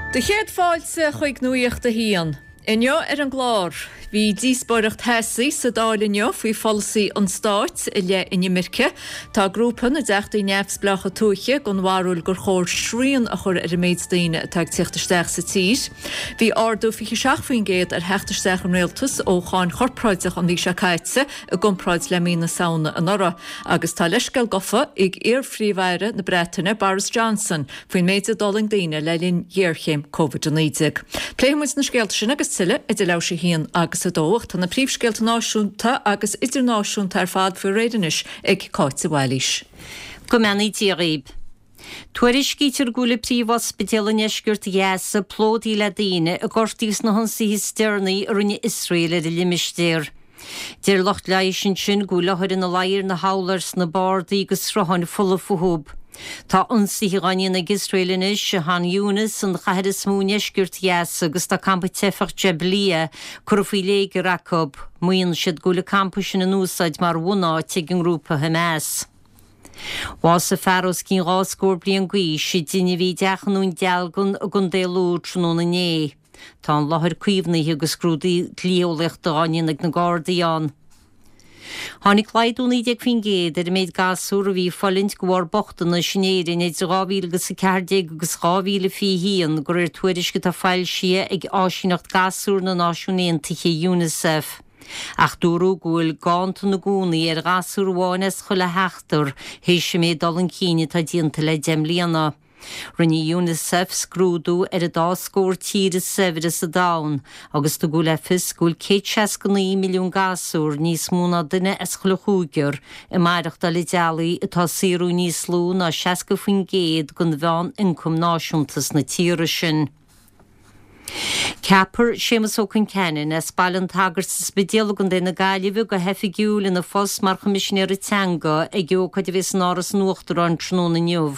Do chéad fáilte chuig Nuacht a hAon. Inniu ar an gclár, bhí díospóireacht theasaí sa Dáil inniu faoi pholasaí an stáit i leith inimirce. Tá grúpa na dTeachtaí Neamhspleácha Tuaithe den bharúil gur chóir srian a chur ar an méid daoine atá ag tíocht isteach sa tír. Bhí ardú 27% ar theacht isteach an Rialtais ó cháin chorpráideach an mhí seo caite i gcomparáid le mí na Samhna anuraidh. Agus tá leithscéal gofa ag iar-Phríomh-Aire na Breataine Boris Johnson faoin méid a d'fhulaing daoine le linn ghéarchéim Covid-19. Pléifidh muid na scéalta sin agus tuilleadh idir leathuair tar éis a haon agus a dó, ach tá na príomhscéalta náisiúnta agus idirnáisiúnta ar fad faoi réir anois ag Cáit de Bhailís. Go mbeannaí Dia dhaoib. Tuairiscítear go bhfuil príomhospidéal i ndeisceart Ghaza plódaithe le daoine a gortaíodh sna hionsaithe is deireanaí a rinne Iosrael ar an limistéar. Deir lucht leighis ansin go bhfuil othair ina luí ar na hurláir sna bardaí agus srutháin fola fúthu. Tá ionsaithe dhá ndéanamh ag Iosrael anois i Khan Younis, an chathair is mó i ndeisceart Ghaza, agus tá campa teifeach Jabalia curtha faoi léigear acu. Maíonn siad go bhfuil an campa sin in úsáid mar bhunáit ag an ngrúpa Hamas. Bhásaigh fear os cionn dhá scór bliain d'aois i dtine a bhí i dteach i nDún Dealgan i gContae Lú tráthnóna inné. Tá an láthair caomhnaithe agus scrúdú dlí-eolaíochta dhá ndéanamh ag na Gardaí ann. Tháinig laghdú 19% ar an méid gasúr a bhí ag fulaingt de bharr bochtanais in Éirinn idir 2014 agus 2021, de réir tuairisc atá foilsithe ag Áisíneacht Gasúr na Náisiún Aontaithe, Unicef. Ach dúradh go bhfuil ganntan i gcónaí ar ghasúr amháin as chuile sheachtar, théis an méid dul chun cinn atá déanta le 10 mbliana. Rinne Unicef scrúdú ar an dá scór tír is saibhre sa domhan agus tugadh le fios go bhfuil 169 milliún gasúr, níos mó ná duine as chuile chúigear, ag maireachtáil i dteaghlaigh atá ag saothrú níos lú ná 60% den mheán-ioncam náisiúnta sna tíortha sin. Ceapfar Séamus Ó Concheanainn as Baile an tSagairt sa Spidéal i gContae na Gaillimhe go hoifigiúil ina phost mar Choimisinéara Teanga ag ócáid a bheas in Áras an Uachtaráin tráthnóna inniu.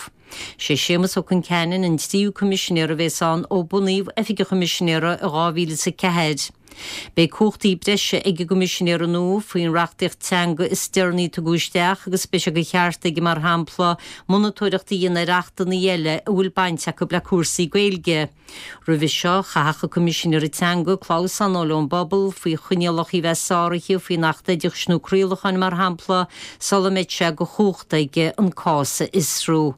Sé Séamus Ó Concheanainn an tríú Coimisinéara a bheas ann ó bunaíodh Oifig an Choimisinéara i 2004. Beidh cumhachtaí breise ag an gCoimisinéara nua faoin reachtaíocht teanga is deireanaí a tugadh isteach agus beidh sé de cheart aige mar shampla monatóireacht a dhéanamh ar achtanna eile a bhfuil baint acu le cúrsaí Gaeilge. Roimhe seo, chaithfeadh an Coimisinéara Teanga clamhsán a fháil ón bpobal faoi choinníollacha a bheith sáraithe faoin Acht Oideachais nó Craolacháin mar shampla sula mbeidh sé de chumhacht aige an cás a fhiosrú.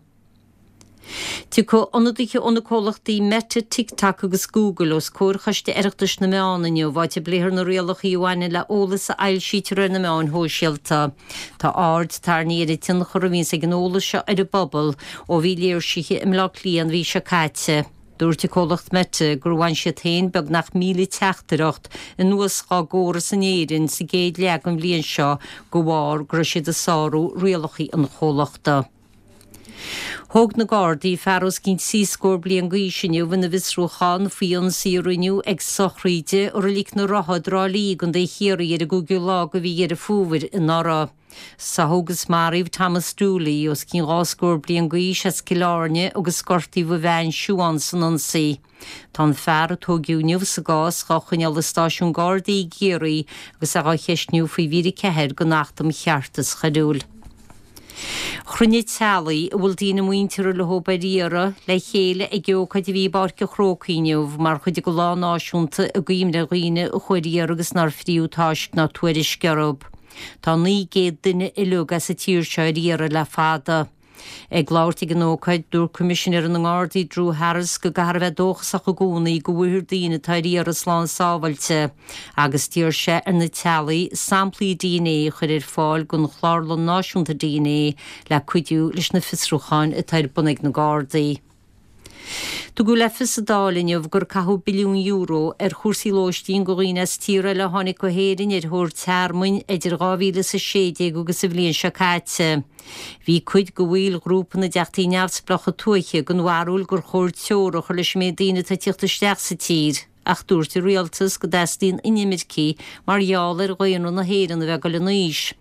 Tiocfaidh ionadaithe ó na comhlachtaí Meta, TikTok agus Google os comhair Choiste Oireachtais na Meán inniu, áit a bpléifear na rialacha a bhaineann le eolas a fhoilsítear ar na meáin shóisialta. Tá aird tarraingthe ar an tionchar a bhíonns ag an eolas seo ar an bpobal ó bhí léirsithe i mBleá Cliath an mhí seo caite. Dúirt an comhlacht Meta gur bhain siad féin beagnach 1,000 teachtaireacht anuas dhá gcóras in Éirinn sa gcéad leath den bhliain seo de bharr go raibh siad ag sárú rialacha an chomhlachta. Thóg na Gardaí fear os cionn trí scór bliain d'aois inniu ina bhfiosrúchán faoi ionsaí a rinneadh ag sochraid i Reilig na Rotha i dTrá Lí i gContae Chiarraí ar an gcúigiú lá de mhí Dheireadh Fómhair anuraidh. Sáthadh agus maraíodh Thomas Dooley, os cionn dhá scór bliain d'aois as Cill Airne agus gortaíodh a bhean Siobhán san ionsaí. Tá an fear a tóigeadh inniu sa gcás dhá choinneáil i stáisiún Gardaí i gCiarraí agus é dhá cheistniú faoi mhír 4 den Acht um Cheartas Choiriúil. Chruinnigh teaghlaigh a bhfuil daoine muinteartha leo ar iarraidh le chéile ag ócáid a bhí i bPáirc an Chrócaigh inniu mar chuid de lá náisiúnta i gcuimhne ar dhaoine a chuaigh ar iarraidh agus nár fríodh tásc ná tuairisc orthu. Tá 900 duine uileag as an tír seo ar iarraidh le fada. Ag labhairt ag an ócáid, dúirt Coimisinéir na nGardaí Drew Harris go gcaithfear a bheith dóchasach i gcónaí go bhfaighfear daoine atá ar iarraidh slán sábhailte agus d'iarr sé ar na teaghlaigh samplaí dna a chur ar fáil don Chlárlann Náisiúnta dna le cuidiú leis na fiosrúcháin atá ar bun ag na Gardaí. Tugadh le fios sa Dáil inniu gur caitheadh billiún euro ar chúrsaí lóistín do dhaoine as tíortha eile a tháinig go hÉirinn ar thóir tearmainn idir 2016 agus an bhliain seo caite. Bhí cuid de bhaill ghrúpa na dTeachtaí Neamhspleácha Tuaithe den bharúil gur chóir teora a chur leis an méid daoine atá ag tíocht isteach sa tír ach dúirt an rialtas go dteastaíonn inimircigh mar gheall ar dhaonra na hÉireann a bheith ag dul in aois.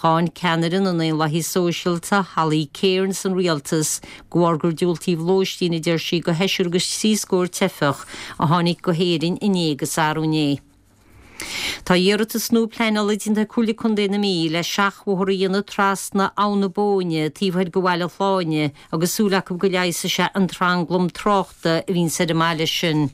Cháin ceannaire na nDaonlathaithe Sóisialta, Holly Cairns an rialtas de bharr gur diúltaíodh lóistín, a deir sí, do sheisear agus trí scór teifeach a tháinig go hÉirinn inné agus arú inné. Tá iarratas nua pleanála déanta ag Comhairle Contae na Mí le seachbhóthar a dhéanamh trasna Abhainn na Bóinne taobh thoir de Bhaile Shláine agus súil acu go leigheasfaidh sé an tranglam tráchta a bhíonns ar an mbaile sin.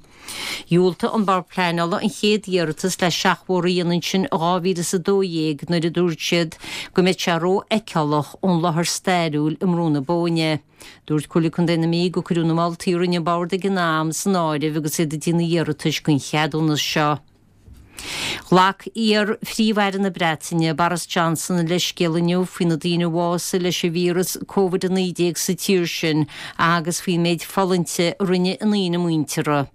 Dhiúltaigh an Bord Pleanála an chéad iarratas le seachbhóthar a dhéanamh ansin i 2012 nuair a dúirt siad go mbeadh sé rófheiceálach ón láthair stairiúil i mBrú na Bóinne. Dúirt Comhairle Contae na Mí gur cuireadh na moltaí a rinne an Bord ag an am san áireamh agus iad ag déanamh iarratais don cheadúnas seo. Ghlac iar-Phríomh-Aire na Breataine, Boris Johnson, leithscéal inniu faoi na daoine a bhásaigh leis an víreas Covid-19 sa tír sin agus faoin méid fulaingte a rinne a ndaoine muinteartha.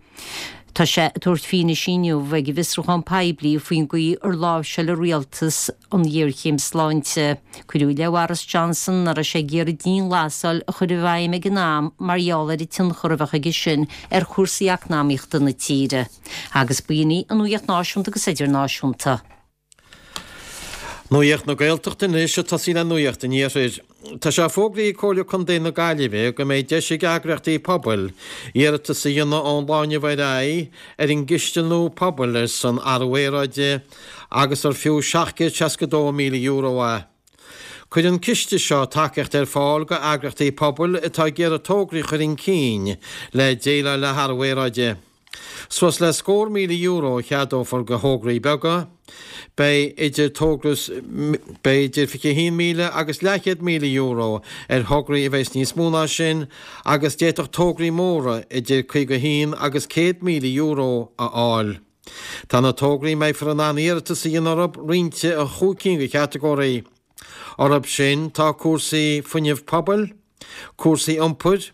Tá sé ag tabhairt fianaise inniu ag an bhfiosrúchán poiblí faoin gcaoi ar láimhseáil a rialtas an ghéarchéim sláinte. Cuireadh i leith Bhoris Johnson nach raibh sé ag iarraidh dianghlasáil a chur i bhfeidhm ag an am mar gheall ar an tionchar a bheadh aige sin ar chúrsaí eacnamaíochta na tíre. Agus b'in í an nuacht náisiúnta agus idirnáisiúnta. Nuacht na Gaeltachta anois ag tosaí le Nuacht an Iarthair. Tá sé fógraithe ag Comhairle Contae na Gaillimhe go mbeidh deis ag eagraíochtaí pobail iarratas a dhéanamh ón lá inniu ar aghaidh ar an gCiste nua Pobail ar son Athrú Aeráide agus ar fiú €762,000 é. Cuireann an ciste seo tacaíocht ar fáil go eagraíochtaí pobail atá ag iarraidh tograí a chur chun cinn le déileáil le hathrú aeráide. Suas le scór €1,000 a cheadófar go thograí beaga. Beidh idir togra beidh idir €21,000 agus leathchéad €1,000 ar thograí a bheas níos mó ná sin agus d'fhéadfadh tograí móra idir 51 agus €100,000 a fháil. Tá na tograí a mbeifear in ann iarratas a dhéanamh orthu roinnte i chúig cinn de chatagóirí. Orthu sin tá cúrsaí fuinnimh pobail, cúrsaí iompair,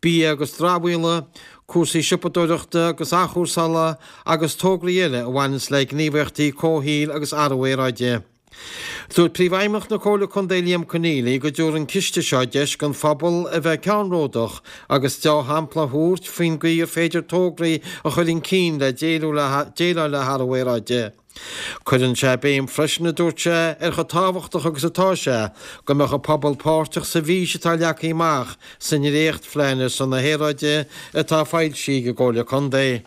bia agus dramhaíola, cúrsaí siopadóireachta agus athchúrsála agus tograí eile a bhaineanns le gníomhaíochtaí comhshaoil agus athrú aeráide. Dúirt Príomhfheidhmeannach na Comhairle Contae Liam Conneally go dtabharfaidh an ciste seo deis don phobal a bheith ceannródach agus deá-shampla a thabhairt faoin gcaoi ar féidir tograí a chur chun cinn le déileáil le hathrú aeráide. Cuireann sé béim freisin, a dúirt sé, ar chomh tábhachtach agus atá sé go mbeadh an pobal páirteach sa bhfís atá leagtha amach sa ndréachtphlean ar son na haeráide atá foilsithe ag an gComhairle Contae.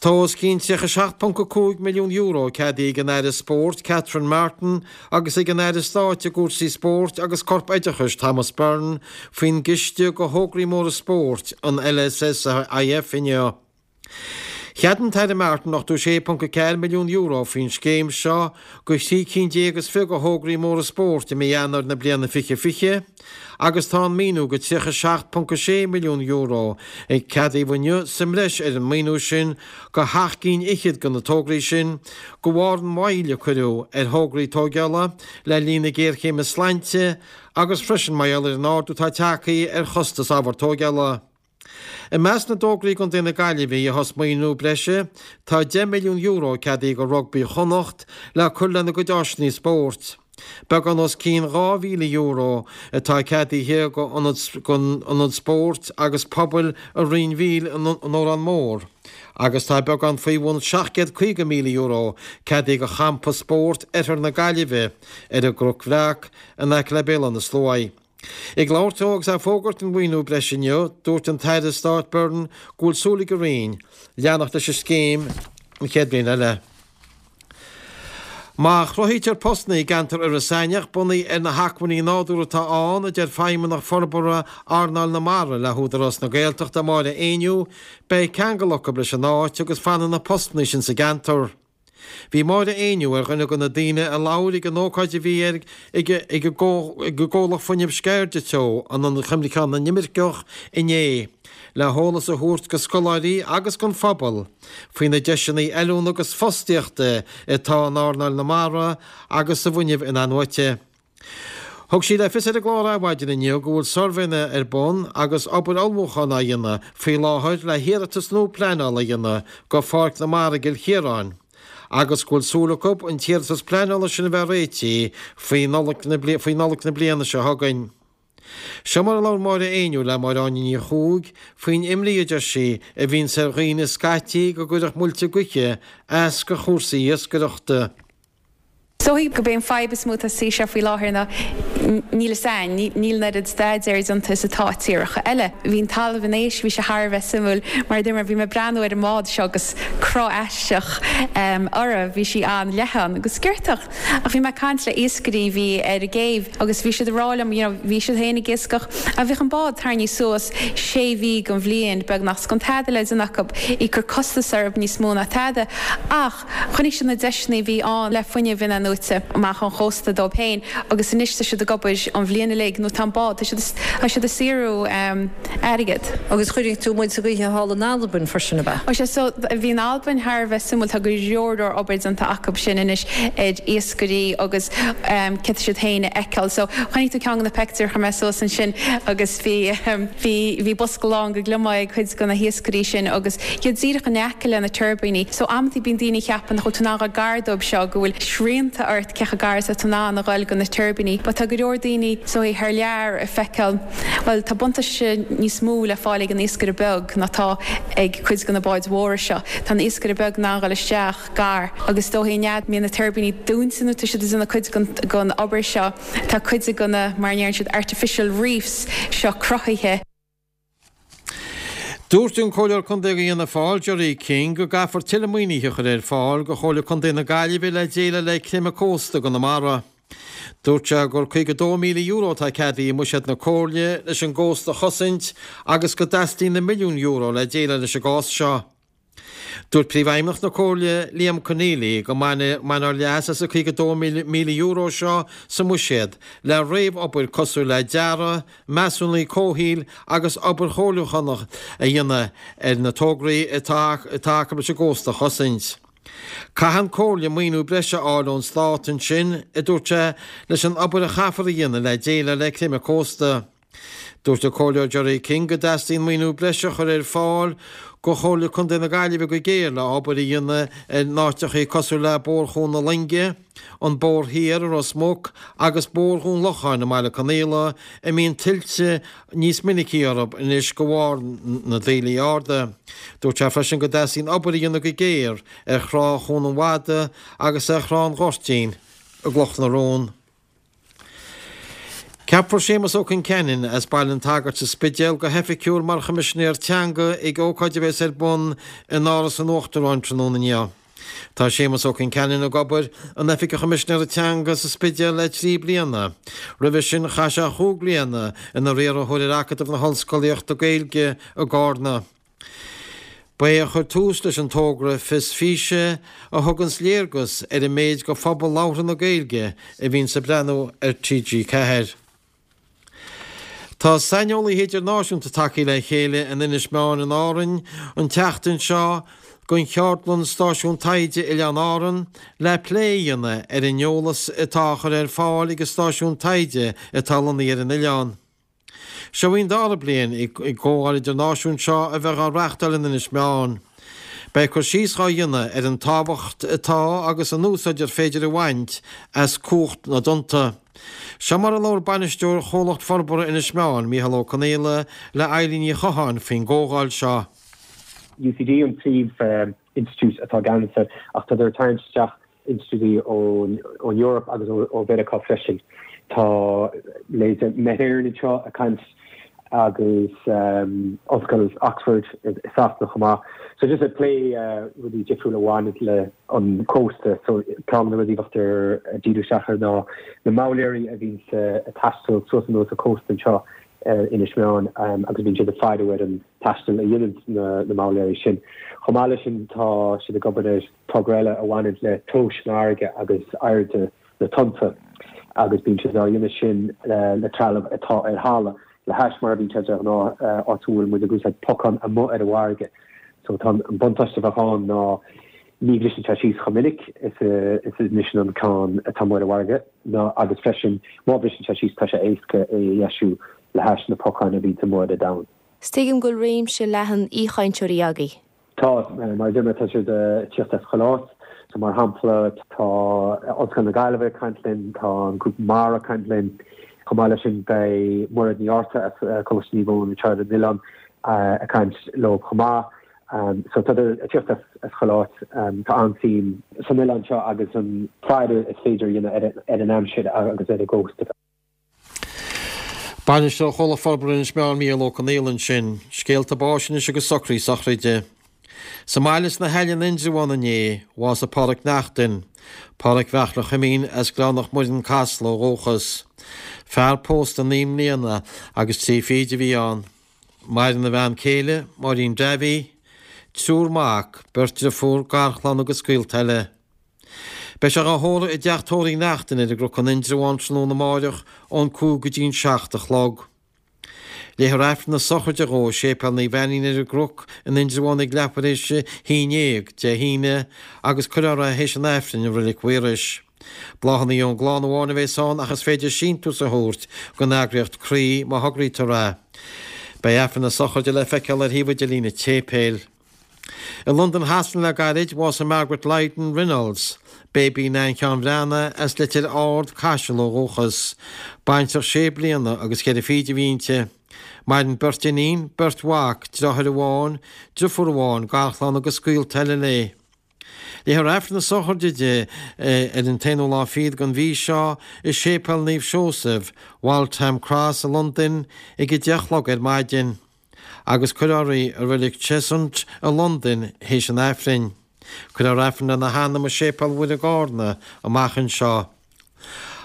Tá os cionn €37.5 milliún ceadaithe ag an Aire Spóirt Catherine Martin agus ag an Aire Stáit i gcúrsaí Spóirt agus Corp-Oideachais Thomas Byrne faoin gCiste do Thograí Móra Spóirt, an LSSIF, inniu. Cheadaigh an tAire Martin €86.4 milliún faoin scéim seo do thrí cinn déag is fiche de thograí móra spóirt i mí Eanáir na bliana 2020 agus tá an maoiniú de €37.6 milliún a ceadaíodh inniu sa mbreis ar an maoiniú sin do sheacht gcinn fhichead de na tograí sin de bharr an mhoill a cuireadh ar thograí tóigeála le linn na géarchéime sláinte agus freisin mar gheall ar an ardú atá tagtha ar chostas ábhar tóigeála. I measc na dtograí i gContae na Gaillimhe a gheobhas maoiniú breise tá €10 milliún ceadaithe do Rugbaí Chonnacht le cur lena gcuid áiseanna spóirt. Beagán os cionn €2,000 atá ceadaithe don Ionad Spóirt agus Pobail i Rinn Mhíl in Órán Mór agus tá beagán faoi bhun €750,000 ceadaithe do Champa Spóirt Oirthear na Gaillimhe ar an gCnoc Bhreac in aice le Béal Átha na Sluaighe. Ag labhairt dó agus é ag fógairt an mhaoiniú breise inniu, dúirt an tAire Stáit Byrne go bhfuil súil ag an Roinn leanacht leis an scéim an chéad bhliain eile. Má chruthaítear postanna i gceantar Iorras Aithneach bunaithe ar na hacmhainní nádúrtha atá ann, a deir Feidhmeannach Forbartha Earnáil na Mara le hÚdarás na Gaeltachta, Máire Éinniú, beidh ceangal acu leis an áit agus fanfaidh na postanna sin sa gceantar. Bhí Máire Éinniú ar dhuine de na daoine a labhair ag an ócáid a bhí ag ag an gcomhlacht fuinnimh Sceirde Teo in Ionad Chuimhneacháin na nImirceach inné le heolas a thabhairt go scoláirí agus don phobal faoi na deiseanna oiliúna agus fostaíochta atá in earnáil na mara agus sa bhfuinneamh in-athnuaite. Thug sí le fios ar an gclár Adhmhaidin inniu go bhfuil suirbhéanna ar bun agus obair ullmhúcháin á dhéanamh faoi láthair le hiarratas nua pleanála a dhéanamh go Pháirc na Mara i gCill Chiaráin agus go bhfuil súil acu an t-iarratas pleanála sin a bheith réitithe faoi Nollaig na bliana seo chugainn. Seo mar a labhair Máire Éinniú le Máire Áine Ní Chuaig faoin imní a deir sí a bhíonns ar dhaoine scaití go gcuirfeadh muilte gaoithe as go chúrsaí iascaireachta. Is dóigh gurb é an fadhb is mó atá sa seo faoi láthair ná níl fhios a'inn, níl an oiread staidéir déanta is atá i tíortha eile. Bhí an Talamh an Éisc, bhí sé thar a bheith suimiúil mar a dúirt mé, bhí mé ag breathnú ar an mbád seo agus cruth aisteach uirthi, bhí sí an-leathan agus sciortach. Ach bhí mé ag caint le iascairí a bhí ar an gcéibh agus bhí siad ag rá liom, you know, bhí siad féin ag iascach ach bhíodh an bád tarraingthe suas sé mhí den bhliain beagnach, 's gan tada le déanamh acu, í ag cur costas orthu níos mó ná tada. Ach. Chonaic siad na deiseanna a bhí ann le fuinneamh in-athnuaite amach ón chósta dóibh féin agus anois tá siad ag obair an bhliain uilig nó tá an bád, tá siad, tá siad ag saothrú airgead. Agus chuirfidh tú muid sa ghaoithe thall in Albain freisin, ab ea? Ó sea, so bhí an Albain thar a bheith suimiúil, tá go leor leor obair déanta acu sin anois ar iascairí agus céard tá siad féin a fheiceáil. So chonaic tú ceann de na peictiúir a chuir mé suas ansin agus bhí, bhí, bhí bosca lán de gliomaigh ag cuid de na hiascairí sin agus iad díreach in aice le na tuirbíní. So amantaí bíonn daoine a cheapann nach bhfuil tú in ann a dhul gar dóibh seo, go bhfuil srianta ort cé chomh gar is atá tú in ann a dhul go na tuirbíní. But tá go leor daoine so thar lear ag feiceáil, bhuel tá buntáiste níos mó le fáil ag an iascaire beag ná tá ag cuid de na báid mhóra seo. Tá an iascaire beag in ann a dhul isteach gar agus is dóigh an fhad mbíonn na tuirbíní dúnta nó tá siad ag déanamh cuid den obair seo, tá cuid de na, mar a ndeireann siad, artificial reefs seo cruthaithe. Dúirt an Comhairleoir Contae do Fhianna Fáil, Gerry King, go gcaithfear tuilleadh maoinithe a chur ar fáil do Chomhairle Contae na Gaillimhe le déileáil le creimeadh cósta i gConamara. Dúirt sé gur €52,000 atá ceadaithe i mbuiséad na Comhairle leis an gcósta a chosaint agus go dteastaíonn na milliúin euro le déileáil leis an gcás seo. Dúirt Príomhfheidhmeannach na Comhairle, Liam Conneely, go mbainfear leas as an €52,000 seo sa mbuiséad le réamh-obair cosúil le dearadh, measúnaí comhshaoil agus obair chomhairliúchánach a dhéanamh ar na tograí atá acu leis an gcósta a chosaint. Caithfidh an Comhairle maoiniú breise a fháil ón Stát ansin, a dúirt sé, leis an obair a chaithfear a dhéanamh le déileáil le creimeadh cósta. Dúirt an Comhairleoir Gerry King go dteastaíonn maoiniú breise a chur ar fáil go Chomhairle Contae na Gaillimhe go géar le obair a dhéanamh ar na háiteachaí cosúil le Bóthar Chuan na Loinge, an Bóthar Thiar i Ros Muc agus Bóthar Dhún Locháin i mBaile Conaola a mbíonn tuilte níos minicí orthu anois de bharr na dtaoillí arda. Dúirt sé freisin go dteastaíonn obair a dhéanamh go géar ar thrá Chuan an Mhada agus ar Thrá an Ghoirtín i gCloch na Rón. Ceapfar Séamus Ó Concheanainn as Baile an tSagairt sa Spidéal go hoifigiúil mar Choimisinéir Teanga ag ócáid a bheas ar bun in Áras an Uachtaráin tráthnóna inniu. Tá Séamus Ó Concheanainn ag obair in Oifig an Choimisinéara Teanga sa Spidéal le 3 bliana. Roimhe sin chaith sé chúig bliana ina riarthóir ar Acadamh na hOllscolaíochta Gaeilge i gCárna. Ba é a chuir tús leis an togra Fios Físe a thuganns léargas ar an méid de phobal labhartha na Gaeilge a bhíonns ag breathnú ar TG4. Tá saineolaithe idirnáisiúnta tagtha le chéile in Inis Meáin in Árainn an tseachtain seo don cheardlann Stáisiún Taighde Oileáin Árann le plé a dhéanamh ar an eolas atá á chur ar fáil ag an stáisiún taighde atá lonnaithe ar an oileán. Seo í an dara bliain ag an gcomhdháil idirnáisiúnta seo a bheith á reachtáil in Inis Meáin. Beidh cur síos dhá dhéanamh ar an tábhacht atá agus an úsáid ar féidir a bhaint as cumhacht na dtonnta. Seo mar a labhair bainisteoir Chomhlacht Forbartha Inis Meáin, Mícheál Ó Conaola, le Eilín Ní Chatháin faoin gcomhdháil seo. UCD an príomh institiúid atá i gceannas air ach tá ag tarraingt isteach institiúidí ón Eoraip agus ó Mheiriceá freisin. Tá leithéidí Met Éireann anseo ag caint agus Ollscoil Oxford i Sasana chomh maith. So just ag plé rudaí difriúla a bhaineann le an cósta. So ceann de na rudaí a bheifear ag díriú isteach air ná na moghlaeirí a bhíonns ag taisteal suas anuas an cósta anseo ar Inis Meáin agus bíonn siad ag faireadh ar an taisteal a dhéanann na moghlaeirí sin. Chomh maith leis sin tá siad ag obair ar togra eile a bhaineann le tomhais san fharraige agus airde na dtonnta agus bíonn siad á dhéanamh sin le trealamh atá ar thalamh le hais mar a bhíonn sé de ghnáth áit a bhfuil muid ag úsáid pocán amuigh ar an bhfarraige. So tá an buntáiste a bheadh ann ná ní bhriseann sé síos chomh minic is a bhriseann an ceann atá amuigh ar an bhfarraige ná agus freisin má bhriseann sé síos tá sé éasca é a dheisiú le hais na pocáin a bhíonns amuigh ar an domhan. 'S tuigim go bhfuil réimse leathan aoichainteoirí agaibh. Tá, mar a deir mé, tá siad ag tíocht as chuile áit. So mar shampla, tá Ollscoil na Gaillimhe ag caint linn, tá an Grúpa Mara ag caint linn. Chomh maith leis sin beidh Mairéad Ní Fhátharta as Coláiste Naomh Eoin anseo ar an oileán ag caint leo chomh maith. So tádar ag tíocht as chuile áit. Tá an-suim san oileán seo agus an faire is féidir a dhéanamh ar an aimsir agus ar an gcósta. Bainisteoir Chomhlacht Forbartha Inis Meáin Mícheál Ó Conaola ansin. Scéalta báis anois agus socruithe sochraide. Sa mbaile sna hAille in Indreabhán inné, bhásaigh Pádhraic Neachtain, Pádhraic Bheartla Chuimín as Gleann Mhuirinn Casla ó dhúchas. Fear pósta naoi mbliana agus trí fichid a bhí ann. Maireann a bhean céile, Máirín Davy, triúr mac, beirt driofúr, garchlann agus gaolta eile. Beidh sé dhá thórramh i dteach tórraimh Neachtain ar an gCnoc in Indreabhán tráthnóna amáireach ón 5 go dtí an 7 a chlog. Léifear Aifreann na sochraide dhó i Séipéal Naomh Ainnín ar an gCnoc in Indreabhán ag leathuair théis a haon dhéag Dé hAoine agus cuirfear é théis an Aifrinn i Roilig Mhaorais. Bláthanna ón gclann amháin a bheas ann ach is féidir síntiús a thabhairt don eagraíocht Croí má thograítear é. Beidh Aifreann na sochraide le feiceáil ar shuíomh idirlín an tséipéil. I Londain Shasana le gairid, bhásaigh Margaret Lydon Reynolds, Baby Nan Sheáin Bhreathnaigh, as Leitir Ard, Caiseal ó dhúchas. Baintreach sé bliana agus cheithre fichid a bhí inti. Maireann beirt iníon, beirt mhac, deartháir amháin, driofúr amháin, garchlann agus gaolta eile léi. Léifear Aifreann na sochraide di ar an t-aonú lá fichead den mhí seo i Séipéal Naomh Seosamh, Waltham Cross i Londain ag a 10 a chlog ar maidin. Agus cuirfear í i Reilig Cheshunt i Londain théis an Aifrinn. Cuirfear Aifreann lena hanam i Séipéal Mhuire i gCarna amach anseo.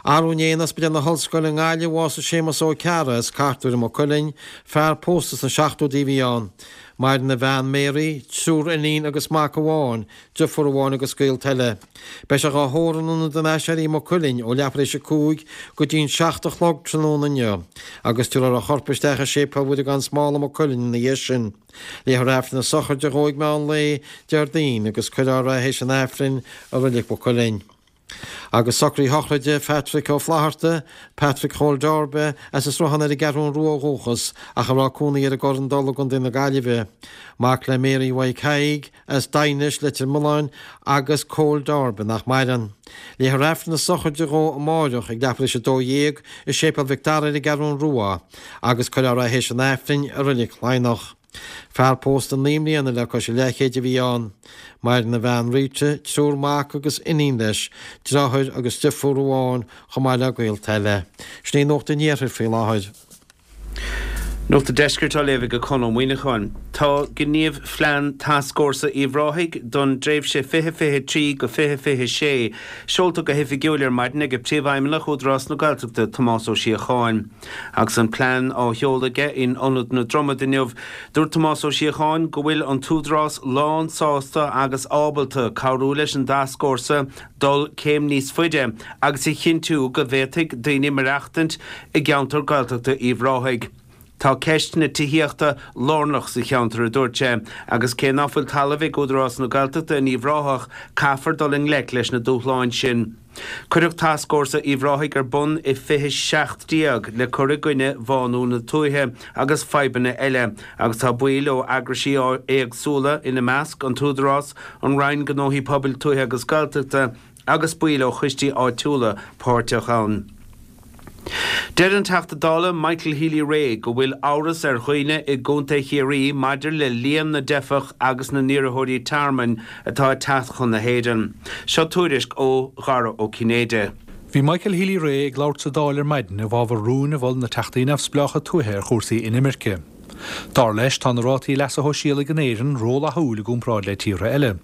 Arú inné in Ospidéal na hOllscoile i nGaillimh bhásaigh Séamus Ó Cearra as Cartúir i Maigh Cuilinn, fear pósta sna seachtóidí a bhí ann. Maireann a bhean Mary, triúr iníon agus mac amháin, driofúr amháin agus gaolta eile. Beidh sé dhá thórramh in Ionad an Aiséirí i Maigh Cuilinn ó leathuair théis a 5 go dtí an 7 a chlog tráthnóna inniu agus tabharfar a chorp isteach i Séipéal Mhuire gan Smál i Maigh Cuilinn ina dhiaidh sin. Léifear Aifreann na sochraide dhó ag meán lae Déardaoin agus cuirfear é théis an Aifrinn i Reilig Mhaigh Cuilinn. Agus socruithe sochraide Phatrick Ó Flatharta, Patrick Chóil Darby, as an Sruthán ar an gCeathrún Rua ó dhúchas ach a raibh cónaí air i gCorr an Dola i gContae na Gaillimhe. Mac le Mary Mhaidhc Thaidhg, as Daighinis, Leitir Mealláin, agus Cóil Darby, nach maireann. Léifear Aifreann na sochraide dhó amáireach ag leathuair théis 12 i Séipéal Mhic Dara ar an gCeathrún Rua agus cuirfear é théis an Aifrinn i Reilig Laighneach. Fear pósta naoi mbliana le cois a leathchéid a bhí ann. Maireann a bhean Rita, triúr mac agus iníon leis, deartháir agus deirfiúr amháin chomh maith le gaolta eile. Sin í Nuacht an Iarthair faoi láthair. Nuacht an Deiscirt á léamh ag Conn Ó Muíneacháin. Tá Gníomhphlean Tascfhórsa Uíbh Ráthaigh don dtréimhse 2023-2026 seolta go hoifigiúil ar maidin ag Príomhfheidhmeannach Údarás na Gaeltachta, Tomás Ó Síocháin. Agus an plean á sheoladh aige in Ionad na Dromad inniu, dúirt Tomás Ó Síocháin go bhfuil an tÚdarás lán sásta agus ábalta cabhrú leis an dtascfhórsa dul céim níos faide agus a chinntiú go bhféadfaidh daoine maireachtaint i gceantar Gaeltachta Uíbh Ráthaigh. Tá ceist na tithíochta lárnach sa cheantar, a dúirt sé, agus cé ná fuil talamh ag Údarás na Gaeltachta in Uíbh Ráthach, caithfear dul i ngleic leis na dúshláin sin. Cuireadh Tascfhórsa Uíbh Ráthaigh ar bun i 2017 le cur i gcoinne bhánú na tuaithe agus fadhbanna eile agus tá baill ó eagraisí éagsúla, ina measc, an tÚdarás, an Roinn Gnóthaí Pobail Tuaithe agus Gaeltachta agus baill ó choistí áitiúla páirteach ann. Deir an Teachta Dála Michael Healy-Rae go bhfuil amhras ar dhaoine i gContae Chiarraí maidir le líon na dteifeach agus na n-iarrthóirí tearmainn atá ag teacht chun na hÉireann. Seo tuairisc ó Dhara Ó Cinnéide. Bhí Michael Healy-Rae ag labhairt sa Dáil ar maidin i bhfabhar rúin a mhol na Teachtaí Neamhspleácha Tuaithe ar chúrsaí inimirce. Dar leis, tá na rátaí leasa shóisialaigh in Éirinn rófhlaithiúil i gcomparáid le tíortha eile.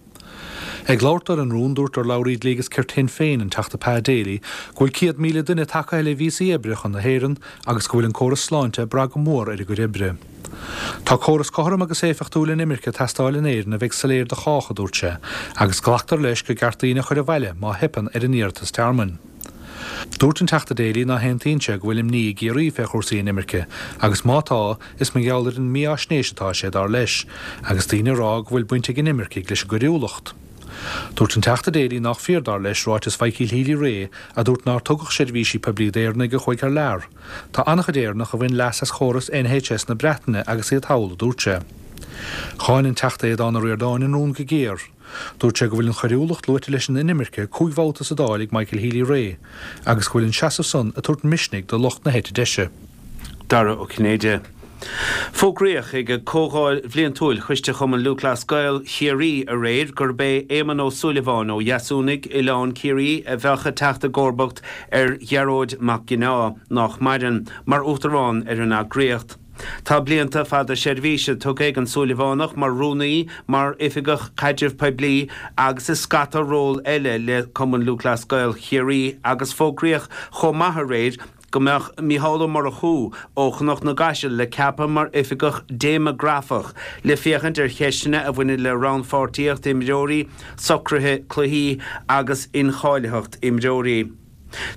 Ag labhairt dó ar an rún, dúirt urlabhraí Dlí agus Cirt Shinn Féin, an Teachta Pa Daly, go bhfuil 100,000 duine tagtha le víosaí oibre chun na hÉireann agus go bhfuil an córas sláinte ag brath go mór ar a gcuid oibre. Tá córas cothrom agus éifeachtúil inimirce ag teastáil in Éirinn a bheidh soiléir do chách, a dúirt sé, agus glactar leis gur ceart daoine a chur abhaile má theipeann ar a n-iarratas tearmainn. Dúirt an Teachta Daly ná haontaíonn sé go bhfuil imní i gCiarraí fé chúrsaí inimirce agus má tá, is mar gheall ar an mífháisnéis atá sé, dar leis, agus daoine ag rá go bhfuil baint ag inimircigh leis an gcoiriúlacht. Dúirt an Teachta Daly nách fíor, dar leis, ráiteas Mhichael Healy-Rae a dúirt nár tugadh seirbhísí poiblí d'Éireannaigh a chuaigh thar lear. Tá an-chuid Éireannach a bhain leas as chóras NHS na Breataine agus iad thall, a dúirt sé. Cháin an Teachta Aodhán Ó Ríordáin an rún go géar. Dúirt sé go bhfuil an choiriúlacht luaite leis an inimirce 5 bhabhta sa Dáil ag Michael Healy-Rae agus go bhfuil an seasamh san ag tabhairt misnigh do lucht na heite deise. Dara Ó Cinnéide. Fógraíodh ag Comhdháil Bhliantúil Choiste Chumann Lúthchleas Gael Chiarraí aréir gurb é Éamonn Ó Súilleabháin ó Dheasúnaigh, Oileán Ciarraí a bheadh ag teacht i gcomharbacht ar Ghearóid Mac Ginneá, nách maireann, mar Uachtarán ar an eagraíocht. Tá blianta fada seirbhíse tugtha ag an Súilleabhánach mar rúnaí, mar oifigeach caidrimh poiblí agus i scata ról eile le Cumann Lúthchleas Gael Chiarraí agus fógraíodh chomh maith aréir go mbeadh Mícheál Ó Murchú ó Chnoc na gCaiseal le ceapadh mar Oifigeach Déimeagrafach le féachaint ar cheisteanna a bhaineann le rannpháirtíocht imreoirí, socruithe cluichí agus incháilitheacht imreoirí.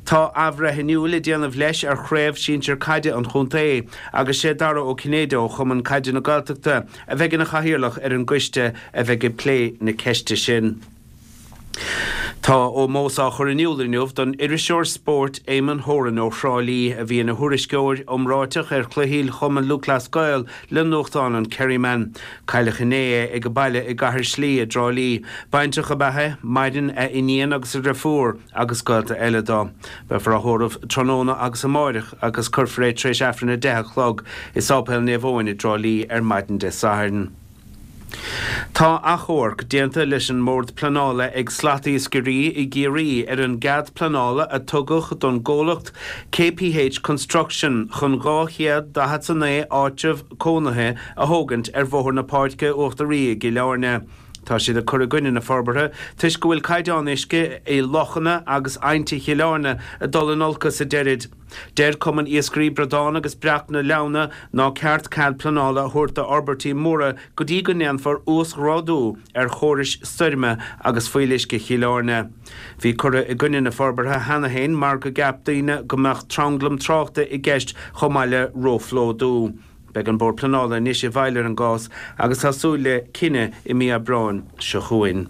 Tá athbhreithniú le déanamh leis ar chraobh sinsir caide an chontae agus sé Dara Ó Cinnéide ó Chumann Caide na Gaeltachta a bheidh ina chathaoirleach ar an gcoiste a bheidh ag plé na ceiste sin. Tá ómós á chur in iúl inniu don iriseoir spóirt Eamonn Horan ó Thrá Lí, a bhí ina thuairisceoir iomráiteach ar chluichí Chumann Lúthchleas Gael le nuachtán an Kerryman. Cailleadh inné é ag a baile i gCathair Slí i dTrá Lí. Baintreach ab ea é, maireann a iníon agus a dhriofúr agus gaolta eile dó. Beifear á thórramh tráthnóna agus amáireach agus cuirfear é tar éis Aifreann 10 a chlog i Sáipéal Naomh Eoin i dTrá Lí ar maidin Dé Sathairn. Tá achomharc déanta leis an mBord Pleanála ag slatiascairí i gCiarraí ar an gcead pleanála a tugadh don gcomhlacht KPH Construction chun 249 áitreabh cónaithe a thógaint ar Bhóthar na Páirce Uachtaraí i gCill Airne. Tá siad ag cur i gcoinne na forbartha toisc go bhfuil caighdeán uisce i lochanna agus aibhnte Chill Airne ag dul in olcas, a deirid. Deir Cumann Iascairí Bradán agus Breac na Leamhna ná ceart cead pleanála a thabhairt d'fhorbairtí móra go dtí go ndéanfar uasghrádú ar chórais stoirme agus fuíolluisce Chill Airne. Bhí curtha i gcoinne na forbartha cheana féin mar go gceap daoine go mbeadh tranglam tráchta i gceist chomh maith le róphlódú. Beidh an Bord Pleanála anois i bhfeighil ar an gcás agus tá súil le cinneadh i mí Aibreáin seo chugainn.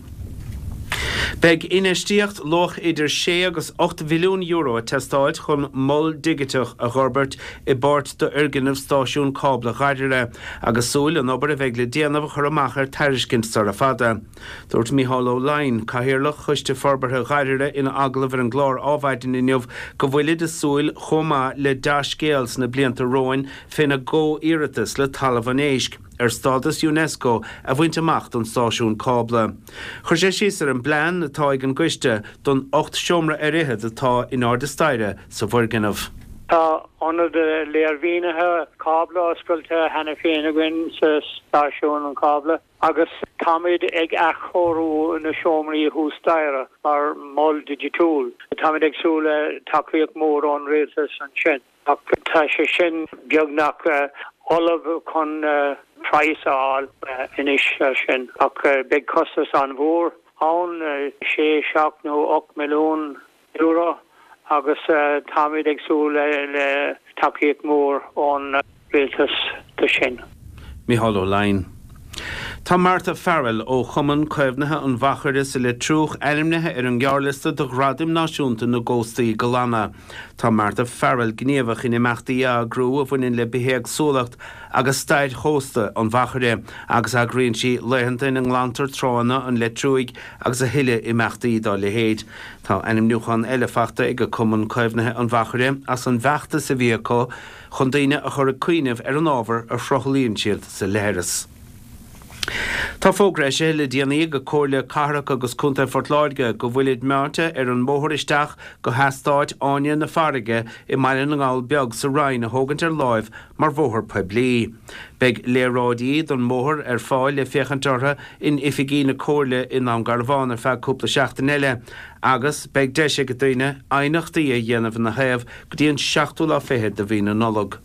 Beidh infheistíocht luach idir sé agus 8 mhilliún euro ag teastáilt chun mol digiteach a dh'fhorbairt i bpáirt d'fhoirgneamh stáisiún cábla Ghairire agus súil an obair a bheidh le déanamh a chur amach ar tairiscint sara fada. Dúirt Mícheál Ó Laighin, Cathaoirleach Choiste Forbartha Ghairire ina agallamh ar an gclár Ádhmhaidin inniu go bhfuilid ag súil chomh maith le dea-scéal sna blianta romhainn féna gcomhiarratas le Talamh an Éisc ar stádas Unesco a bhaint amach don stáisiún cábla. Chuir sé síos ar an bplean atá ag an gcoiste don 18 seomra ar fhichead atá in airde staighre sa bhfoirgneamh. Tá ionad léirmhínithe cábla oscailte cheana féin againn sa stáisiún cábla. Agus táimid ag athchóiriú na seomraí thuas staighre mar mhol digitiúil. Táimid ag súil le tacaíocht mhór ón rialtas ansin. Ach tá sé sin beagnach ullamh chun praghas a fháil anois air sin. Ach beidh costas an-mhór ann, sé, seacht nó 8 milliún. euro agus táimid ag súil le tacaíocht mhór ón rialtas do sin. Mícheál Ó Laighin. Tá Martha Farrell ó Chumann Caomhnaithe an Mhachaire sa Leitriúch ainmnithe ar an ngearrliosta do Ghradaim Náisiúnta na gCóstaí Glana. Tá Martha Farrell gníomhach in imeachtaí a eagrú a bhaineann le bithéagsúlacht agus stair chósta an Mhachaire agus eagraíonn sí laethanta ina nglantar tránna an Leitriúigh agus a thuilleadh imeachtaí dá leithéid. Tá ainmniúchán eile faighte ag Cumann Caomhnaithe an Mhachaire as an bhfeachtas a bhí acu chun daoine a chur ag cuimhneamh ar an ábhar a shruthlaíonn siad sa leithreas. Tá fógra eisithe le déanaí ag Comhairle Cathrach agus Contae Phort Láirge go bhfuilid meáite ar an mbóthar isteach go heastát Fháinne na Farraige i mBaile na nGall Beag sa Rinn a thógaint ar láimh mar bhóthar poiblí. Beidh léaráidí don mbóthar ar fáil le féachaint orthu in oifigí na Comhairle i nDún Garbhán ar feadh cúpla seachtain eile agus beidh deis ag daoine aighneachtaí a dhéanamh ina thaobh go dtí an seachtú lá fichead de mhí na Nollag.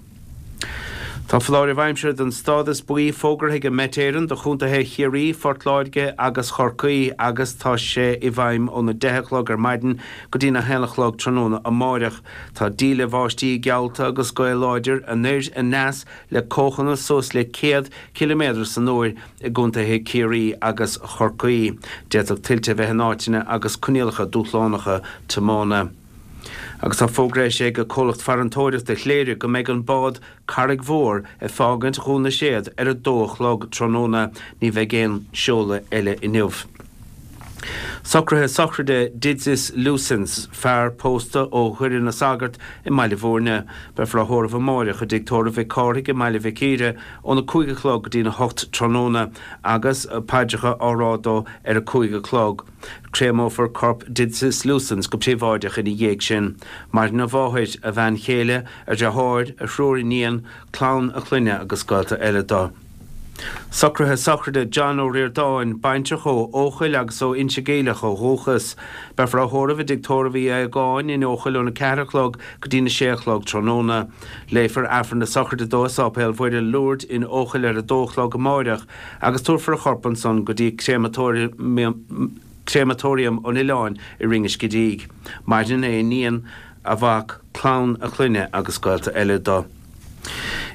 Tá foláireamh aimsire den stádas buí fógartha ag Met Éireann do chontaetha Chiarraí, Phort Láirge agus Chorcaí agus tá sé i bhfeidhm óna 10 a chlog ar maidin go dtína haon a chlog tráthnóna amáireach. Tá díle bháistí geallta agus gaoth láidir anoir aneas le cóchanna suas le 100 ciliméadar san uair i gcontaetha Chiarraí agus Chorcaí. D'fhéadfadh tuilte a bheith in áiteanna agus coinníollacha dúshlánacha tiomána. Agus tá fógra eisithe ag Comhlacht Farantóireachta Chléire go mbeidh an bád Carraig Mhór ag fágaint Dhún na Séad ar a dó a chlog tráthnóna. Ní bheidh aon seoladh eile inniu. Socruithe sochraide Didzis Lusins, fear pósta ó Dhoire na Sagart i mBaile Bhúirne. Beifear á thórramh amáireach i dTigh Tórraimh Mhic Cárthaigh i mBaile Mhic Íre óna 5 a chlog go dtína 8 tráthnóna agus paidreacha á rá dó ar a 5 a chlog. Créamófar corp Didzis Lusins go príobháideach ina dhiaidh sin. Maireann a mháthair, a bhean chéile, a dhreatháir, a thriúr iníon, clann a chlainne agus gaolta eile dó. Socruithe sochraide John Ó Ríordáin, baintreach ó Eochaill agus ó Inse Geimhleach ó dhúchas. Beifear á thórramh i dTigh Tórraimh Uí Aodhagáin in Eochaill óna 4 a chlog go dtína 6 a chlog tráthnóna. Léifear Aifreann na sochraide dó i Sáipéal Mhuire, Lourdes in Eochaill ar 2 a chlog amáireach agus tabharfar a chorp ansan go dtí Créamatóiriam an Oileáin i Rinn an Scidígh. Maireann a iníon, a mhac, clann a chlainne agus gaolta eile dó.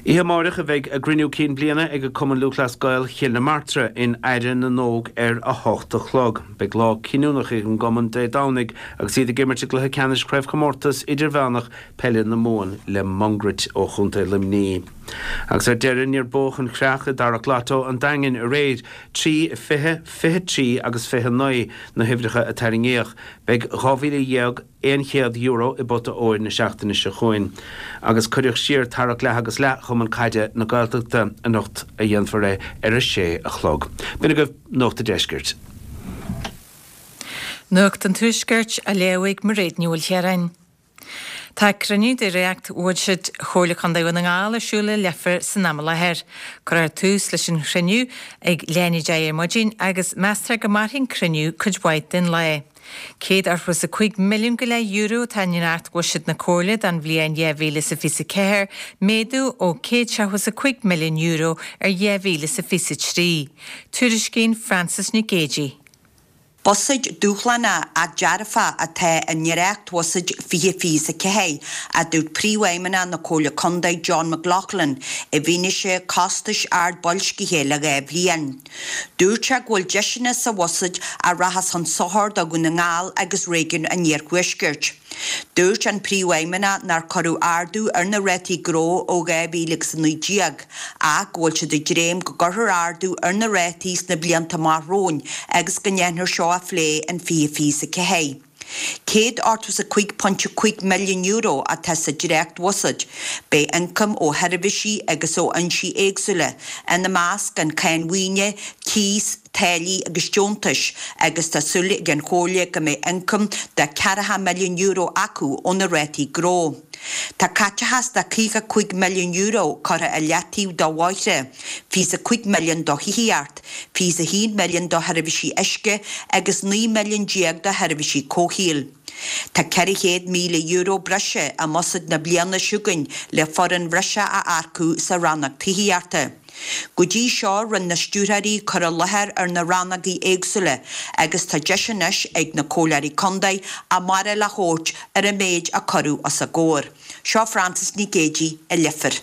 Oíche amáireach a bheidh a gcruinniú cinn bliana ag Cumann Lúthchleas Gael Chill na Martra in Aire na nÓg ar 8 a chlog. Beidh lá cinniúnach ag an gcumann Dé Domhnaigh agus iad ag imirt i gcluiche ceannais Chraobhchomórtas Idirmheánach Peile na Mumhan le Mungairit ó Chontae Luimní. Agus ar deireadh níor buadh an chreach i dTarrac Lotto an Daingin aréir, 3, 20, 23 agus 29 na huimhreacha a tarraingíodh. Beidh €12,000. €100 i bpota óir na seachtaine seo chugainn agus cuireadh siar tarrac leath agus leath Chumann Caide na Gaeltachta. Anocht a dhéanfar é ar a sé a chlog. B'in agaibh Nuacht a' Deiscirt. Nuacht an Tuaiscirt á léamh ag Mairéad Ní Mhaoilchiaráin. Tá cruinniú de dhréacht-bhuiséad Chomhairle Contae Dhún na nGall ar siúl i Leifear san am i láthair. Cuirfear tús leis an chruinniú ag leath i ndiaidh a 10 ar maidin agus meastar go mairfidh an cruinniú cuid mhaith den lá. €185 milliún go leith euro atá i ndréacht-bhuiséad na Comhairle don bhliain 2024, méadú ó €175 milliún ar 2023. Tuairiscíonn Frances Nic Géadaigh. Buiséad dúshlánach ach dearfach atá i ndréacht-bhuiséad 2024, a dúirt Príomhfheidhmeannach na Comhairle Contae John McLaughlin, i bhfianaise costais ard boilscithe le 2 bhliain. Dúirt sé go bhfuil deiseanna sa bhuiséad a rachas chun sochair do Dhún na nGall agus réigiún an Iarthuaiscirt. Dúirt an Príomhfheidhmeannach nár cuireadh ardú ar na rátaí gnó ó 2019 ach go bhfuil siad ag dréim go gcuirfear ardú ar na rátaí sna blianta amach romhainn agus go ndéanfar seo a phlé in 2024. €185.5 milliún atá sa dréacht-bhuiséad. Beidh ioncam ó sheirbhísí agus ó fhoinsí éagsúla, ina measc an cháin mhaoine, cíos, táillí agus deontais, agus tá súil ag an Chomhairle go mbeidh ioncam de €40 milliún acu ó na rátaí gnó. Tá caiteachas de €55 milliún curtha i leataobh do bhóithre, 25 milliún do thithíocht, 21 milliún do sheirbhísí uisce agus 19 milliún do sheirbhísí comhshaoil. Tá €400,000 breise i mbuiséad na bliana seo chugainn le foireann bhreise a earcú sa rannóg tithíochta. Go dtí seo rinne na stiúrthóirí cur i láthair ar na rannógaí éagsúla agus tá deis anois ag na Comhairleoirí Contae a mbarúil a thabhairt ar an méid a cuireadh os a gcomhair. Seo Frances Nic Géadaigh i Leifear.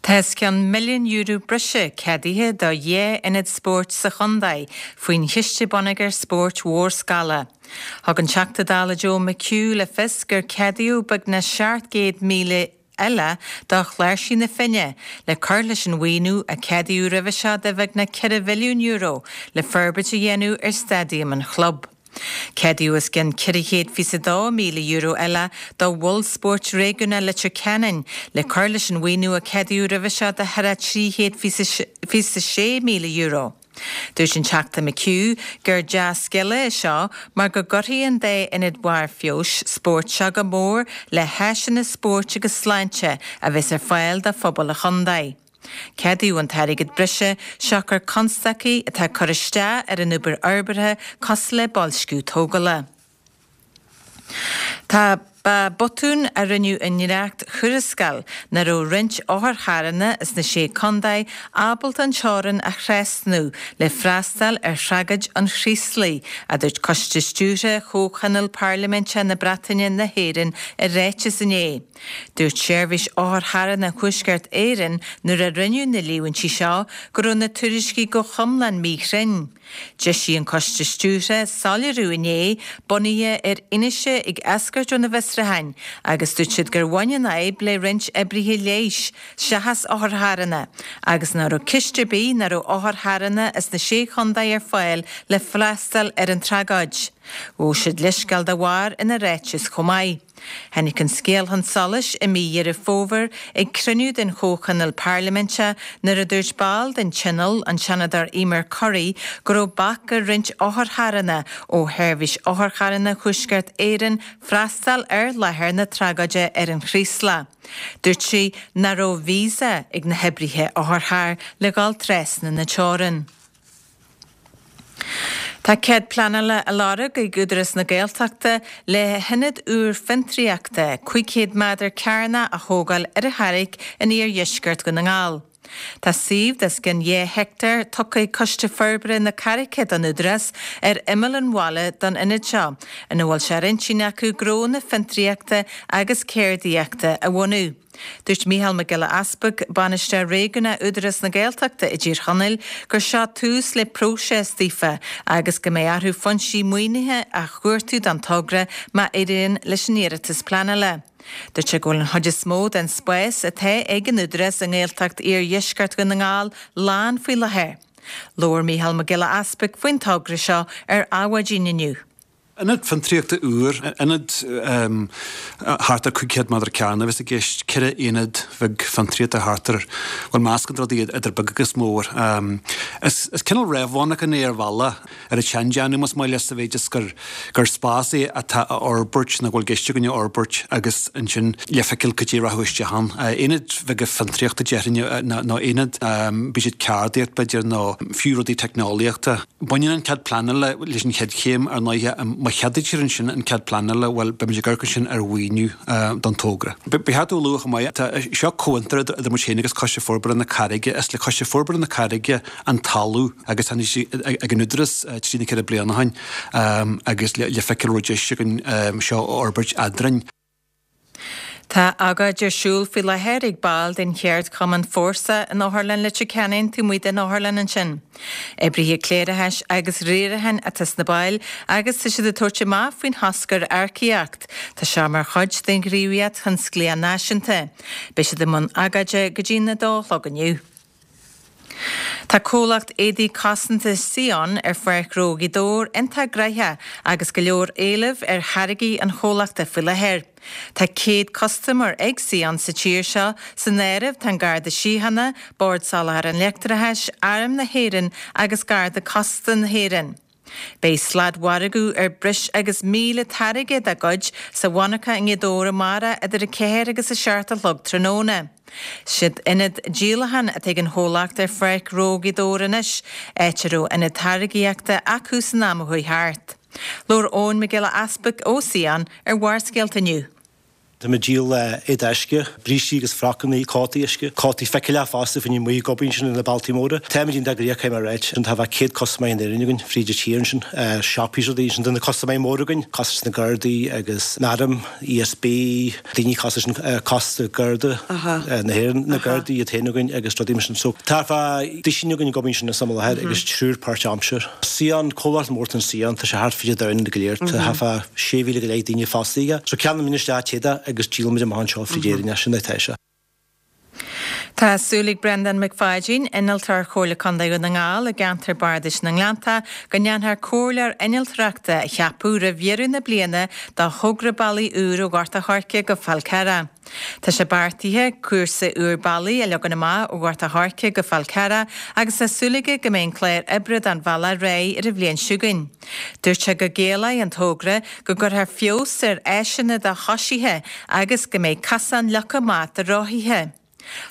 Tá os cionn €1 milliún breise ceadaithe do dheich n-ionad spóirt sa chontae faoin Chiste Bonneagair Spóirt Mhórscála. Thug an Teachta Dála Joe McHugh le fios gur ceadaíodh beagnach 700,000 eile do Chláirsigh na Finne le cur leis an mhaoiniú a ceadaíodh roimhe seo de bheagnach €4 mhilliún le forbairt a dhéanamh ar staidiam an chlub. Ceadaíodh os cionn €422,000 eile do Mhol Spóirt Réigiúnach Leitir Ceanainn le cur leis an mhaoiniú a ceadaíodh roimhe seo de thar €326,000. Dúirt an Teachta McHugh gur dea-scéala é seo mar go gcuirfidh an dá ionad barr feabhais spóirt seo go mór le háiseanna spóirt agus sláinte a bheas ar fáil do phobal an chontae. Ceadaíodh an t-airgead breise siocair constaicí atá ag cur isteach ar an obair fhorbartha cosúil le boilsciú tógála. Tá Ba botún a rinneadh i ndréacht-thuarascáil nach raibh roinnt otharcharranna sna Sé Contae ábalta an teorainn a thrasnú le freastal ar thragóid an Chraoslaigh, a dúirt Coiste Stiúrtha Chomhthionól Parlaiminteach na Breataine na hÉireann i ráiteas inné. Dúirt Seirbhís Otharcharranna Thuaisceart Éireann nuair a rinneadh na líomhaintí seo go raibh na tuairiscí go hiomlán míchruinn. D'eisigh an Coiste Stiúrtha soiléiriú inné, bunaithe ar fhianaise ag eascairt óna bhfiosrúchán. bhfiosrúcháin agus dúirt siad gur bhain an fhadhb le roinnt oibrithe leighis seachas otharcharranna agus nach raibh ciste ar bith nach raibh otharcharranna as na Sé Chontae ar fáil le freastal ar an tragóid. Ghabh siad leithscéal dá bharr ina ráiteas chomh maith. Tháinig an scéal chun solais i mí Dheireadh Fómhair ag cruinniú den Chomhthionól Parlaiminte nuair a dúirt ball den Tionól, an Seanadóir Emer Currie, go raibh bac ar roinnt otharcharranna ó Sheirbhís Otharcharranna Thuaisceart Éireann freastal ar láthair na tragóide ar an Chraoslach. Dúirt sí nach raibh visa ag na hoibrithe otharchairr le dhul trasna na teorann. Tá cead pleanála á lorg ag Údarás na Gaeltachta le hionad úr fiontraíochta 500 méadar cearnach a thógáil ar an Charraig in iardheisceart Dhún na nGall. Tá suíomh de os cionn 2 heicteár tugtha ag Coiste Forbartha na Carraice don Údarás ar imeall an bhaile don ionad seo, ina bhfuil sé ar intinn acu gnónna fiontraíochta agus ceardaíochta a bhunú. Dúirt Mícheál Mac Giolla Easpaig, Bainisteoir Réigiúnach Údarás na Gaeltachta i dTír Chonaill, gur seo tús le próiseas daofa agus go mbeidh orthu foinsí maoinithe a chuartú don togra má éiríonn leis an iarratas pleanála. Dúirt sé go bhfuil an chuid is mó den spás atá ag an Údarás i nGaeltacht Iardheisceart Dhún na nGall lán faoi láthair. Labhair Mícheál Mac Giolla Easpaig faoin togra seo ar Adhmhaidin inniu. Ionad fiontraíochta úr, ionad thart ar 500 méadar cearnach a bheas i gceist, ceithre aonad bheag fiontraíochta thart ar, bhuel meascán de rudaí idir beag agus mór. Is cineál réamh-mhonarchan é ar bhealach, ar an tseandéanamh más maith leat sa mhéid is gur gur spás é atá á fhorbairt nó go bhfuil i gceist againn a fhorbairt agus ansin le feiceáil cad é a rachadh isteach ann. Aonaid bheaga fiontraíochta déarfainn nó aonaid, bíodh siad ceardaíocht b'fhéidir nó fiú rudaí teicneolaíochta. Baineann an cead pleanála leis an chéad chéim ar ndóighe. Má cheadaítear ansin an cead pleanála, bhuel, beimid ag amharc ansin ar mhaoiniú don togra. Ba cheart a lua chomh maith, tá seo comhfhiontar idir muid féin agus Coiste Forbartha na Carraige. Is le Coiste Forbartha na Carraige an talamh agus tháinig sé ag an Údarás trí nó ceithre bliana ó shin agus le feiceáil an raibh deis againn seo a fhorbairt eadrainn. Tá agóid ar siúl faoi láthair ag baill den cheardchumann Fórsa in Otharlann Leitir Ceanainn taobh amuigh den otharlann ansin. Oibrithe cléireachais agus riaracháin atá sna baill agus tá siad ag tabhairt amach faoin chosc ar earcaíocht. Tá seo mar chuid den ghníomhaíocht thionsclaíoch náisiúnta. Beidh siad i mbun agóide go dtí'n 2 a chlog inniu. Tá comhlacht éadaí cosanta Sion ar Pháirc Ghnó Ghaoth Dobhair iontach gnoitheach agus go leor éilimh ar tháirgí an chomhlachta faoi láthair. Tá 100 custaiméir ag Sion sa tír seo, san áireamh tá an Garda Síochána, Bord Soláthair an Leictreachais, Arm na hÉireann agus Garda Cósta na hÉireann. Beidh sladmhargadh ar breis agus 1,000 táirge dá gcuid sa mhonarcha i nGaoth Dobhair amárach idir 4 agus 7 a chlog tráthnóna. Siad ionad díolacháin atá ag an chomhlacht ar Pháirc Ghnó Ghaoth Dobhair anois, áit a raibh ionad táirgíochta acu san am a chuaigh thart. Labhair Eoin Mac Giolla Easpaig ó Sion ar Bharrscéalta inniu. Tá muid ag díol éadaí uisce, brístí agus frocanna, cótaí uisce, cótaí fichille fosta fá choinne amuigh ag obair ansin ar na bealtaí móra. Táimid iontach gnoitheach caithfidh mé a ráit. Tá bheadh 100 custaiméir in Éirinn againn fríd an tír ansin, siopaí is rudaí ansin. Tá na custaiméirí móra againn, cosúil leis na Gardaí agus an Arm, ESB, daoine cosúil leis an Cósta Garda na hÉireann, na Gardaí iad féin againn agus rudaí mar sin. So tá fá duisín againn ag obair ansin sa láthair agus triúr páirt-aimsir. Sion, comhlacht mór atá in Sion, tá sé thart fríd an domhan go léir, tá thart fá 6,000 go leith daoine fostaithe aige. So ceannaímid isteach an t-éadach agus díolaimid amach anseo fríd Éirinn é, sin é atá sé. Tá súil ag Breandán Mac Pháidín, Innealtóir Chomhairle Contae Dhún na nGall i gceantar Bardais na nGleannta, go ndéanfar comhairleoir innealtóireachta a cheapadh roimh dheireadh na bliana do thogra bealaigh úr ó Ghort a' Choirce go Fál Carrach. Tá sé beartaithe cúrsa úr bealaigh a leagan amach ó Ghort a' Choirce go Fál Carrach agus tá súil aige go mbeidh an clár oibre don bhealach réidh ar an bhliain seo chugainn. Dúirt sé go gciallóidh an togra go gcuirfear feabhas ar áiseanna do choisithe agus go mbeidh cosán leagtha amach do rothaithe.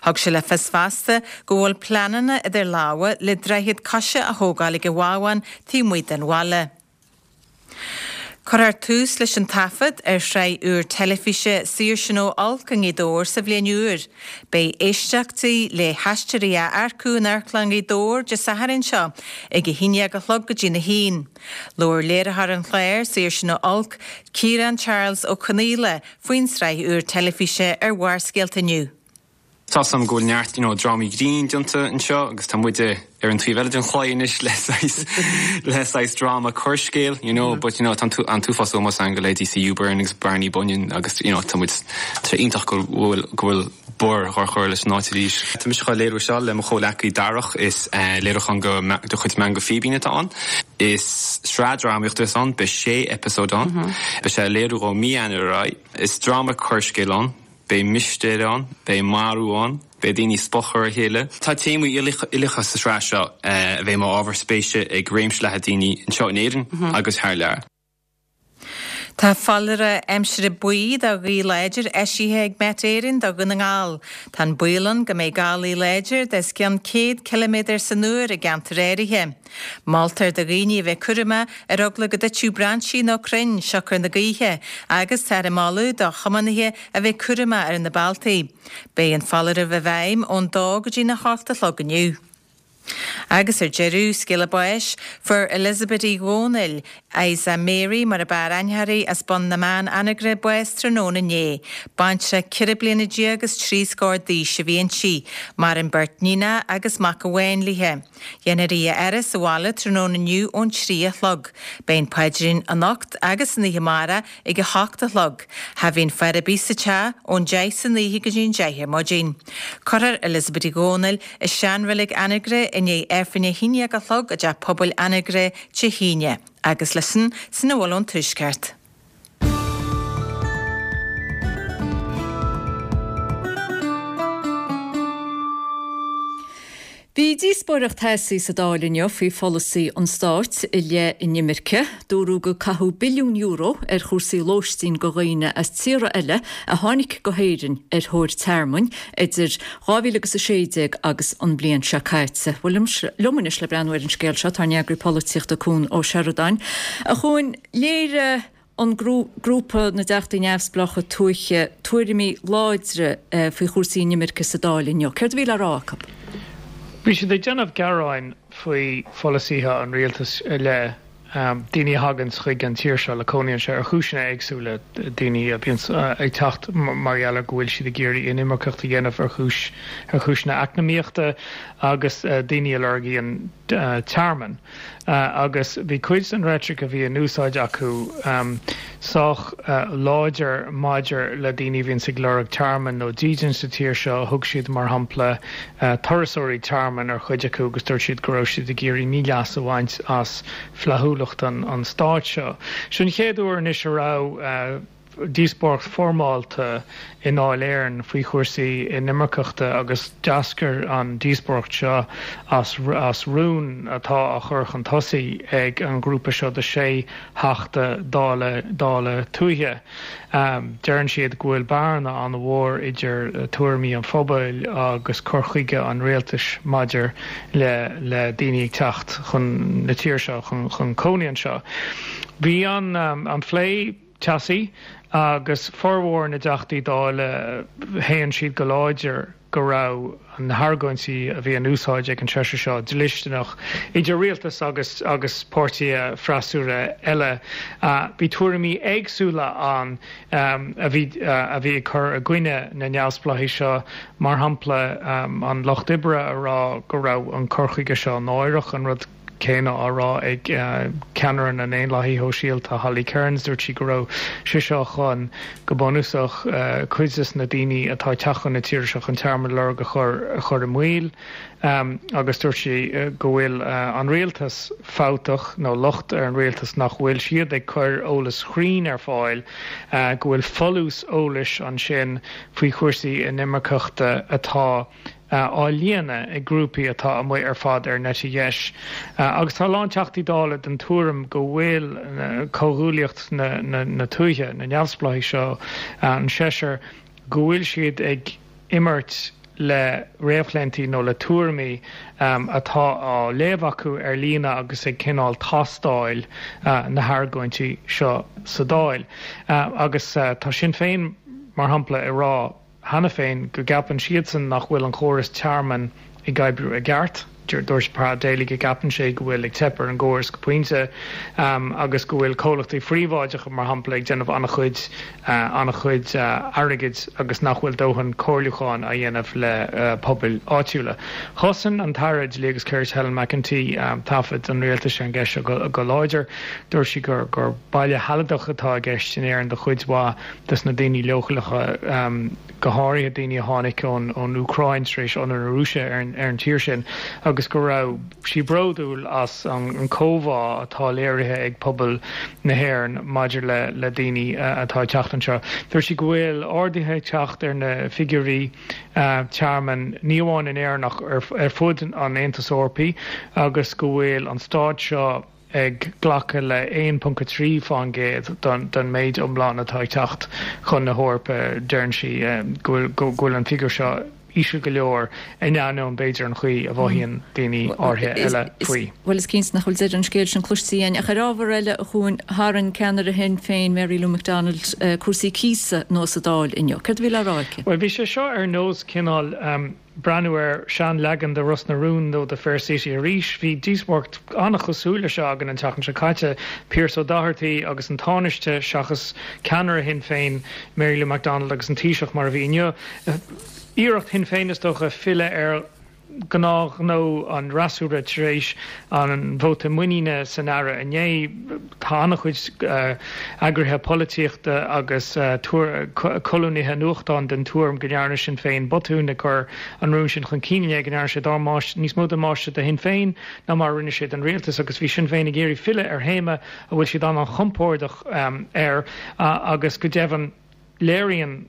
Thug sé le fios fosta go bhfuil pleananna idir lámha le droichead coise a thógáil ag an Bhábhán taobh amuigh den bhaile. Cuirfear tús leis an taifead ar shraith úr teilifíse Saoirse nó Olc i nGaoth Dobhair sa bhliain úr. Beidh éisteachtaí le haisteoirí á earcú in Amharclann Ghaoth Dobhair Dé Sathairn seo ag 11 a chlog go dtí'n 1. Labhair léiritheoir an chláir, Saoirse nó Olc, Ciarán Charles Ó Conaola, faoin tsraith úr teilifíse ar Bharrscéalta inniu. Tá's a'm go bhfuil neart you know drámaí grinn déanta anseo agus tá muide ar an taobh eile den chlaí anois le saghas le saghas dráma coirscéil you know but you know tá an t-uafás ómós againn do leithéidí CU Byrne agus Barney Bunyan agus you know tá muid tá sé iontach go bhfuil go bhfuil Bor dhá chur leis an áit arís. Tá mise dhá léiriú seo le mo chomhleacaí Darach is léiriúchán go de chuid Meangadh Fíbín atá ann. Is sraith drámaíochta atá ann, beidh sé eipeasóid ann. Beidh sé á léiriú ó mí Eanáir ar aghaidh. Is dráma coirscéil ann. Beidh mistéir ann, beidh marú ann, beidh daoine ag spochadh ar a chéile. Tá téamaí uilíocha sa tsraith seo a bheidh mar ábhar spéise ag réimse leathan daoine anseo in Éirinn agus thar lear. Tá foláireamh aimsire buí do ghaoth láidir eisithe ag Met Éireann do Dhún na nGall. Tá an baol ann go mbeidh gálaí láidir de os cionn 100 ciliméadar san uair i gceantair áirithe. Moltar do dhaoine a bheith cúramach ar eagla go dtitfeadh brainsí nó crainn siocair na gaoithe agus táthar ag moladh do thiománaithe a bheith cúramach ar na bealtaí. Beidh an foláireamh i bhfeidhm ón dó go dtí'n 8 a chlog inniu. Agus ar deireadh, scéala báis, fuair Elizabeth Uí Dhomhnaill, Isa Mary mar a b'fhearr aithne uirthi, as Bun na mBan, Anagaire, bás tráthnóna inné. Baintreach 14 bliana agus 3 scór d'aois a bhí inti. Maireann beirt níonacha agus mac amháin léi. Dhéanfar í a fhaire sa bhaile tráthnóna inniu ón 3 a chlog. Beidh an paidrín anocht agus san oíche amárach ag a hocht a chlog. Cha bhíonn faire ar bith sa teach ón deich san oíche go dtí an deich ar maidin. Cuirfear Elizabeth Uí Dhomhnaill i seanreilig Anagaire i ndiaidh Aifreann a haon dhéag a chlog i dTeach Pobail Anagaire Dé hAoine. Agus leis sin, sin a bhfuil ón Tuaisceart. Bhí díospóireacht theasaí sa Dáil inniu faoi pholasaí an stáit i leith inimirce. Dúradh gur caitheadh billiún euro ar chúrsaí lóistín go dhaoine as tíortha eile a tháinig go hÉirinn ar thóir tearmainn idir 2016 agus an bhliain seo caite. Bhuel, liom anois le breathnú ar an scéal seo tá ár n-eagraí polaitíochta Cuan Ó Seireadáin. A Chuain, léirigh an grúpa na dTeachtaí Neamhspleácha Tuaithe tuairimí láidre faoi chúrsaí inimirce sa Dáil inniu. Céard a bhí le rá acu? Bhí siad ag déanamh gearáin faoi pholasaithe an rialtais i leith daoine a thaganns chuig an tír seo le cónaí anseo ar chúiseanna éagsúla, daoine a bhíonns ag teacht mar gheall ar go bhfuil siad ag iarraidh inimirceacht a dhéanamh ar chúis ar chúiseanna eacnamaíochta agus daoine a lorgaíonn tearmann. Agus bhí cuid den reitric a bhí in úsáid acu sách láidir maidir le daoine a bhíonns ag lorg tearmainn nó dídean sa tír seo. Thug siad, mar shampla, turasóirí tearmainn ar chuid acu agus dúirt siad go raibh siad ag iarraidh míleas a bhaint as flaithiúlacht an stáit seo. Seo an chéad uair anois a raibh. díospóireacht foirmeálta i nDáil Éireann faoi chúrsaí inimirceachta agus d'eascair an díospóireacht seo as as rún atá á chur chun tosaigh ag an ghrúpa seo de sé theachta Dála Dála Tuaithe. Deireann siad go bhfuil bearna an-mhór idir tuairimí an phobail agus cur chuige an rialtais maidir le le daoine ag teacht chun na tíre seo chun chun cónaí anseo. Bhí an an plé teasaí agus formhór na dTeachtaí Dála shéan siad go láidir go raibh na hargóintí a bhí in úsáid ag an seisear seo dlisteanach, idir rialtas agus agus páirtithe freasúra eile. Bhí tuairimí éagsúla ann a bhí a bhí ag cur i gcoinne na neamhspleáchaí seo, mar shampla an Lucht Oibre a rá go raibh an cur chuige seo náireach, an rud céanna á rá ag ceannaire na nDaonlathaithe Shóisialta, Holly Cairns. Dúirt sí go raibh sé seo chun, go bunúsach, cuid des na daoine atá ag teacht chun na tíre seo chun tearmann a lorg a chur i mbaol agus dúirt sí go bhfuil an rialtas fabhtach nó locht ar an rialtas nach bhfuil siad ag cur eolas chruinn ar fáil, go bhfuil folús eolais ansin faoi chúrsaí inimirceachta atá á líonadh ag grúpaí atá amuigh ar fad ar an eite dheis. Agus tá a lán Teachtaí Dála den tuairim go bhfuil comhghuaillíocht na tuaithe, na neamhspleáchaigh seo, an seisear, go bhfuil siad ag imirt le réamhchlaontaí nó le tuairimí atá á léamh acu ar líne agus ag cineál tástáil na hargóintí seo sa Dáil. Agus tá Sinn Féin, mar shampla, ag rá, cheana féin go gceapann siadsan nach bhfuil an chóras tearmainn ag oibriú i gceart. Dúirt Pa Daly go gceapann sé go bhfuil ag teip ar an gcóras go pointe agus go bhfuil comhlachtaí phríobháideacha, mar shampla, ag déanamh an-chuid an-chuid airgid agus nach bhfuil dóthain comhairliúcháin á dhéanamh le pobail áitiúla. Chosain an tAire Dlí agus Cirt Helen McEntee taifead an rialtais ar an gceist seo go láidir. Dúirt sí gur gur baile shealadach atá i gceist in Éirinn do chuid mhaith des na daoine leochaileacha. go háirithe daoine a tháinig ón Úcráin tar éis ionradh na Rúise ar an tír sin, agus go raibh sí bródúil as an comhbhá atá léirithe ag pobal na hÉireann maidir le daoine atá ag teacht anseo. Dúirt sí go bhfuil arduithe ag teacht ar na figiúirí tearmainn, ní amháin in Éirinn ach ar fud an Aontais Eorpaigh, agus go bhfuil an stát seo, ag glacadh le 1.3% den méid iomlán atá ag teacht chun na hEorpa. Deireann sí go bhfuil an figiúr seo íseal go leor in ainneoin, b'fhéidir, an chaoi a mhothaíonn daoine áirithe eile faoi. Bhuel, is cinnte nach bhfuil deireadh an scéil sin cloiste againn. Ach ar ábhar eile, a Chuain, tharraing ceannaire Shinn Féin, Mary Lou McDonald, cúrsaí cíosa anuas sa Dáil inniu. Céard a bhí le rá aici? Bhuel, bhí sé seo ar nós cineál. breathnú ar seanleagan de Ros na Rún nó de Fair City arís. Bhí díospóireacht an-chosúil leis seo againn an tseachtain seo caite, Pearse Ó Dochartaigh agus an Tánaiste seachas ceannaire Shinn Féin, Mary Lou McDonald agus an Taoiseach mar a bhí inniu. Iarracht Shinn Féin is dócha filleadh ar ghnáthghnó an fhreasúra tar éis an vóta muiníne san Aire inné. Tá an-chuid eagraithe polaitíochta agus colúnaithe nuachtáin den tuairim go ndearna Sinn Féin botún ag cur an rún sin chun cinn inné, go ndearna sé níos mó damáiste do Shinn Féin ná mar a rinne sé don rialtas agus bhí Sinn Féin ag iarraidh filleadh ar théama a bhfuil siad an-chompordach air agus go deimhin Léiríonn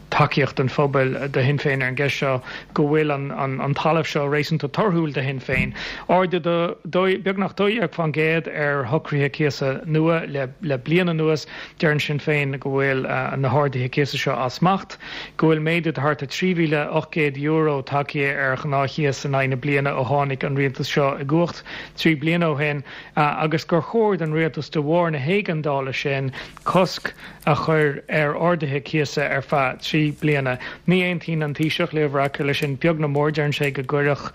tacaíocht an phobail do Shinn Féin ar an gceist seo go bhfuil an talamh seo réasúnta torthúil do Shinn Féin. Ardú de beagnach 12% ar shocruithe cíosa nua le bliain anuas. Deireann Sinn Féin go bhfuil na harduithe cíosa seo as smacht, go bhfuil méadú de thart ar €3,800 tagtha ar ghnáthchíos in aghaidh na bliana ó tháinig an rialtas seo i gcumhacht 3 bliana ó shin agus gur chóir don rialtas de bharr na héigeandála sin cosc a chur ar arduithe cíosa ar feadh 3 bliana. Ní aontaíonn an Taoiseach, Leo Varadkar, leis sin beag ná mór. Deireann sé go gcuirfeadh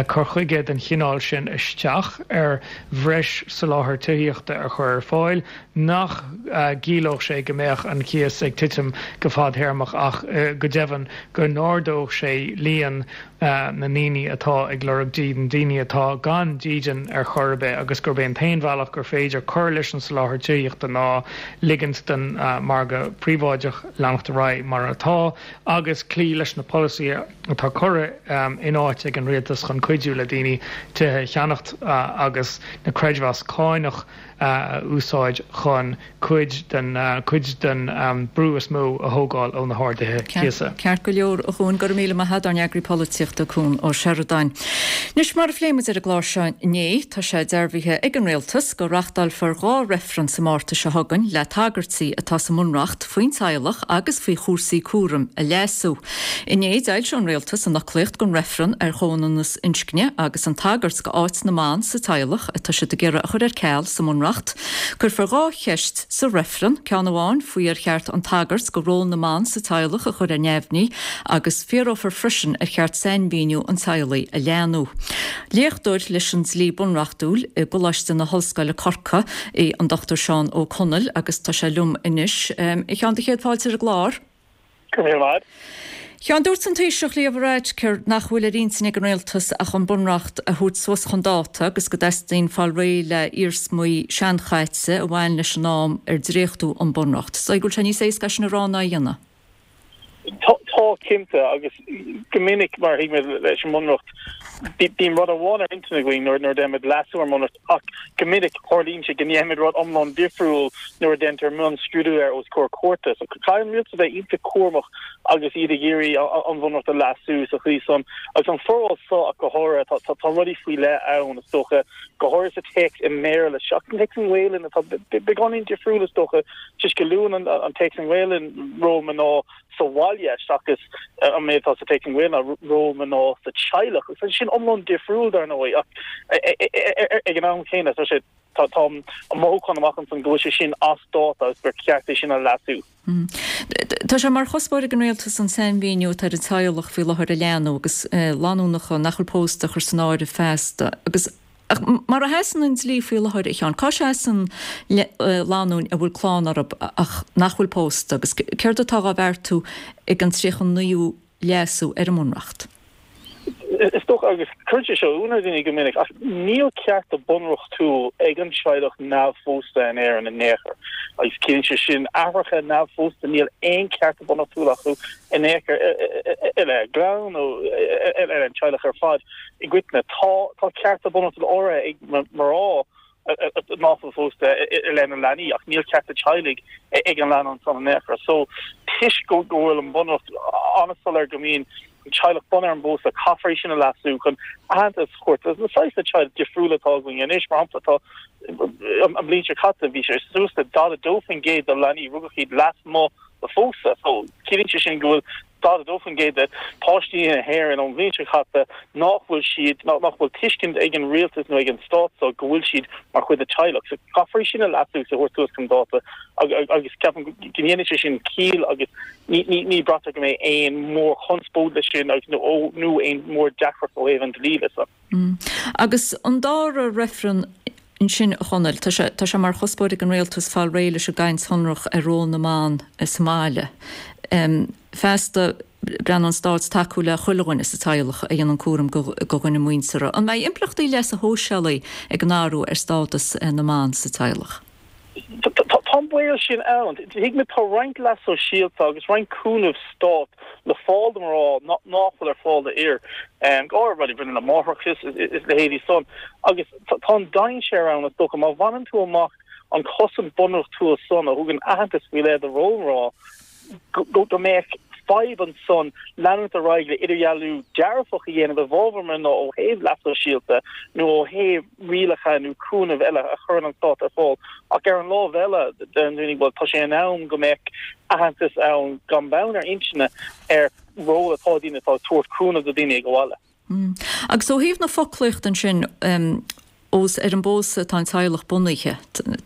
cur chuige den chineál sin isteach ar bhreis soláthar tithíochta a chur ar fáil, nach gciallódh sé go mbeadh an cíos ag titim go fadtéarmach ach go deimhin go n-ardódh sé líon na ndaoine atá ag lorg dídean, daoine atá gan dídean ar chor ar bith agus gurb é an t-aon bhealach gur féidir cur leis an soláthar tithíochta ná ligint don mhargadh príobháideach leanacht ar aghaidh mar atá agus cloí leis na polasaithe atá curtha in áit ag an rialtas chun cuidiú le daoine tithe a cheannacht agus na creidmheas cánach a úsáid chun cuid den cuid den brú is mó a thógáil ó na harduithe cíosa. Ceart go leor, a Chuain, go raibh míle maith agat, ár n-eagraí polaitíochta, Cuan Ó Seireadáin. Anois, mar a phléigh muid ar an gclár seo inné, tá sé dearbhaithe ag an Rialtas go reachtálfar 2 reifreann sa Márta seo chugainn le tagairtí atá sa mBunreacht faoin teaghlach agus faoi chúrsaí cúraim a leasú. Inné, d'fhoilsigh an Rialtas an fhoclaíocht don reifreann ar chomhionannas inscne agus an tagairt go áit na mban sa teaghlach atá siad ag iarraidh a chur ar ceal sa mBunreacht. Cuirfear 2 cheist sa reifreann, ceann amháin faoi ar cheart an tagairt go ról na mban sa teaghlach a chur ar neamhní agus fiafrófar freisin ar cheart sainmhíniú an teaghlaigh a leathnú. Léachtóir leis an dlí bunreachtúil i gColáiste na hOllscoile Corcaigh é an Dr Seán Ó Conaill agus tá sé liom anois. A Sheáin, do chéad fáilte ar an gclár. Go raibh míle maith agat. A Sheáin, dúirt an Taoiseach Leo Varadkar nach bhfuil ar intinn ag an Rialtas ach an Bunreacht a thabhairt suas chun dáta agus go dteastaíonn fáil réidh le iarsmaí seanchaite a bhain leis an am ar dréachtú an Bunreacht. Is dóigh go bhfuil sé níos éasca é sin a rá ná a dhéanamh. Tá, cinnte, agus go minic, mar a thuigimid leis an mBunreacht, bíonn rud amháin ar intinn againn nuair a déanaimid leasú ar an mBunreacht ach go minic tarlaíonn sé go ndéanaimid rud iomlán difriúil nuair a déantar mionscrúdú air os comhair cúirte. So caithfidh an rialtas a bheith iontach cúramach agus iad ag iarraidh an Bhunreacht a leasú sa chaoi san. Agus an foráil seo ach go háirithe, tá tá rudaí faoi leith ann is dócha, go háirithe sa téacs i mBéarla seachas an téacs i nGaelainn atá beagáinín difriúil is dócha, toisc go luann an téacs i nGaelainn ról mná sa bhaile seachas. Seachas an méid atá sa téacs i nGaeilge ná ról mná sa teaghlach. Agus tá sé sin iomlán difriúil dar ndóigh ach ag an am chéanna tá sé tá tá an mothúchán amach ansan go bhfuil sé sin as dáta agus gur ceart é sin a leasú. Tá sé mar chuspóir ag an Rialtas an sainmhíniú atá ar an teaghlach faoi láthair a leathnú agus lanúineacha nach bhfuil pósta a chur san áireamh feasta agus Ach mar a sheasann an dlí faoi láthair, a Sheáin, cá seasann lánúin a bhfuil clann orthu ach nach bhfuil pósta agus céard atá á bheartú ag an 39ú leasú ar an mBunreacht? Is dócha, agus cuireann sé seo ionadh ar dhaoine go minic, ach níl cearta bunreachtúil ag an teaghlach neamhphósta in Éirinn in aon chor. Agus ciallaíonn sé sin aithreacha neamhphósta, níl aon cearta bunreachtúil acu in aon chor i leith a gclann nó i leith an teaghlach ar fad. I gcoitinne, tá tá cearta bunreachtúla áirithe ag mná nach bhfuil pósta i leith na leanaí ach níl cearta teaghlaigh ag an leanbh ansan in aon chor. So, toisc go bhfuil an Bunreacht an-soiléir go mbíonn an teaghlach bunaithe ar an bpósadh, caithfear é sin a leasú chun aitheantas a thabhairt do na saghas teaghlaigh difriúla atá againn anois. Mar shampla, tá an bhliain seo caite bhí sé suas le 42% de leanaí rugadh iad lasmuigh de phósadh. So, ciallaíonn sé sin go bhfuil 42% de pháistí na hÉireann ón bhliain seo caite nach bhfuil siad, nach bhfuil tuiscint ag an rialtas nó ag an stát so go bhfuil siad mar chuid de teaghlach. So caithfear é sin a leasú is a thabhairt suas chun dáta agus ceapaim go ndéanfaidh sé sin ciall agus ní, ní, ní braitear go mbeidh aon mhórchonspóid leis sin agus nó aon mhór-deacracht ó thaobh an dlí de so. Agus an dara reifreann ansin, a Chonaill, tá sé, tá sé mar chuspóir ag an Rialtas fáil réidh leis an gcaint shonrach ar ról na mban sa mbaile. Feasta, plean an Stáit tacú le chuile dhuine sa teaghlach a dhéanann cúram do dhuine muinteartha. An mbeidh impleachtaí leasa shóisialaigh ag an athrú ar stádas na mban sa teaghlach? Tá an baol sin ann. Tuigimid tá roinnt leas sóisialta agus roinnt cúnamh stáit le fáil do mhná nach bhfuil ar fáil d'fhir, go háirithe rudaí a bhaineann le máithreachas is leithéidí san. Agus tá an dainséar ann is dócha má bhaineann tú amach an chosaint bunreachtúil san a thugann aitheantas faoi leith do ról mná, go mbeadh fadhb ansan leanúint ar aghaidh le idirdhealú dearfach a dhéanamh i bhfabhar mná ó thaobh leas sóisialta nó ó thaobh rialacha nó cúnamh eile a chuireann an stát ar fáil. Ach ar an lámh eile, deireann daoine, bhuel, tá sé in am go mbeadh aitheantas ann gan beann ar inscne ar ról atá ag daoine atá ag tabhairt cúnamh do dhaoine ag an bhaile. Agus ó thaobh na foclaíochta ansin, ós ar an bpósadh atá an teaghlach bunaithe,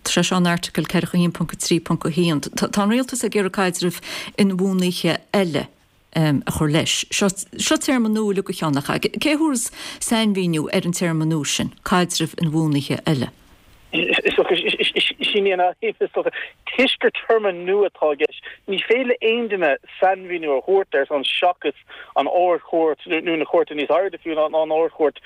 tá sé seo in Airteagal 41.3.1, tá an rialtas ag iarraidh caidreamh inbhuanaithe eile a chur leis. Seo seo téarma nua uilig a Sheáin, nach ea? Cé a thabharfas sainmhíniú ar an téarma nua sin, caidreamh inbhuanaithe eile? Sin í an fhadhb, is dócha. Toisc gur téarma nua atá i gceist, ní féidir le aon duine sainmhíniú a thabhairt air san seachas an Ard-Chúirt nó na cúirteanna níos airde fiú ná an Ard-Chúirt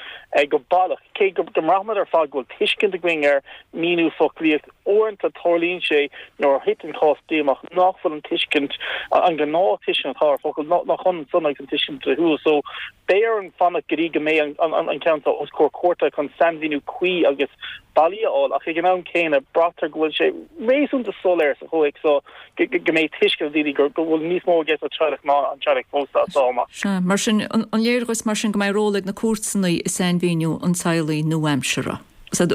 go baileach. Cé go mbraithimid ar fad go bhfuil tuiscint againn ar mhíniú foclaíocht, uaireanta tarlaíonn sé nuair a thiteann cás dlí amach nach bhfuil an tuiscint, an ghnáth-tuiscint atá ar focal, nach ionann san agus an tuiscint dlíthiúil. So, beidh orainn fanacht go dtí go mbeidh an ceann seo os comhair cúirte chun sainmhíniú cuí agus bailí a fháil, ach ag an am céanna braitear go bhfuil sé réasúnta soiléir sa chomhthéacs seo go mbeidh tuiscint ag daoine go bhfuil níos mó i gceist le teaghlach ná an teaghlach pósta as seo amach. Sea, mar sin, an léir dhuit mar sin go mbeidh ról ag na cúirteanna i sainmhíniú an teaghlaigh nua-aimseartha? An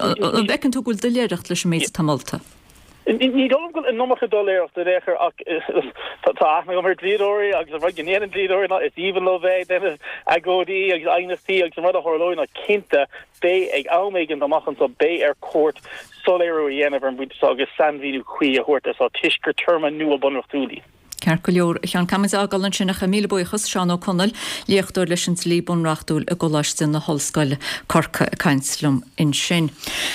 bhfeiceann tú go bhfuil doiléireacht leis an méid atá molta? Ní dóigh liom go bhfuil an iomarca doiléireachta in aon chor ach tá aithne agam ar dhlíodóirí agus an rud go ndéanann dlíodóirí ná is aoibhinn leo bheith ag déanamh agóidí agus aighneachtaí agus an rud a tharlóidh ná cinnte beidh ag am éigin amach anseo beidh ar chúirt soiléiriú a dhéanamh ar an bpointe seo agus sainmhíniú cuí a thabhairt air seo toisc gur téarma nua bunreachtúil í. Ceart go leor, a Sheáin, caithfimid é a fhágáil ansin ach míle buíochas, Seán Ó Conaill, léachtóir leis an dlí bunreachtúil i gColáiste na hOllscoile, Corcaigh, ag caint liom ansin.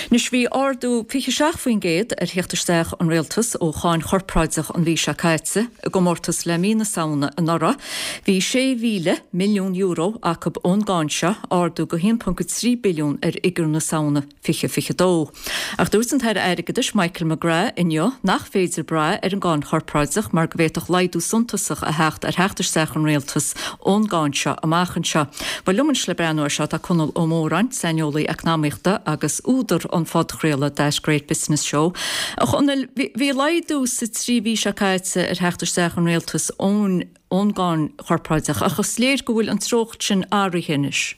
Anois bhí ardú 27% ar theacht isteach an Rialtais ó cháin chorpráideach an mhí seo caite, i gcomórtas le mí na Samhna anuraidh. Bhí €6,000 milliún acu ón gcáin seo, ardú go 1.3 billiún ar fhigiúr na Samhna. 2022. Ach dúirt an tAire Airgeadais Michael McGrath inniu nach féidir brath ar an gcáin chorpráideach mar go bhféadfadh laghdú suntasach a theacht ar theacht isteach an Rialtais ón gcáin seo amach anseo. Bhuel liom anois le breathnú air seo tá Conall Ó Móráin, saineolaí eacnamaíochta agus údar an phodchraoladh That Great Business Show. A Chonaill, bhí laghdú sa trí mhí seo caite ar theacht isteach an Rialtais ón ón gcáin chorpráideach ach is léir go bhfuil an treocht sin athraithe anois.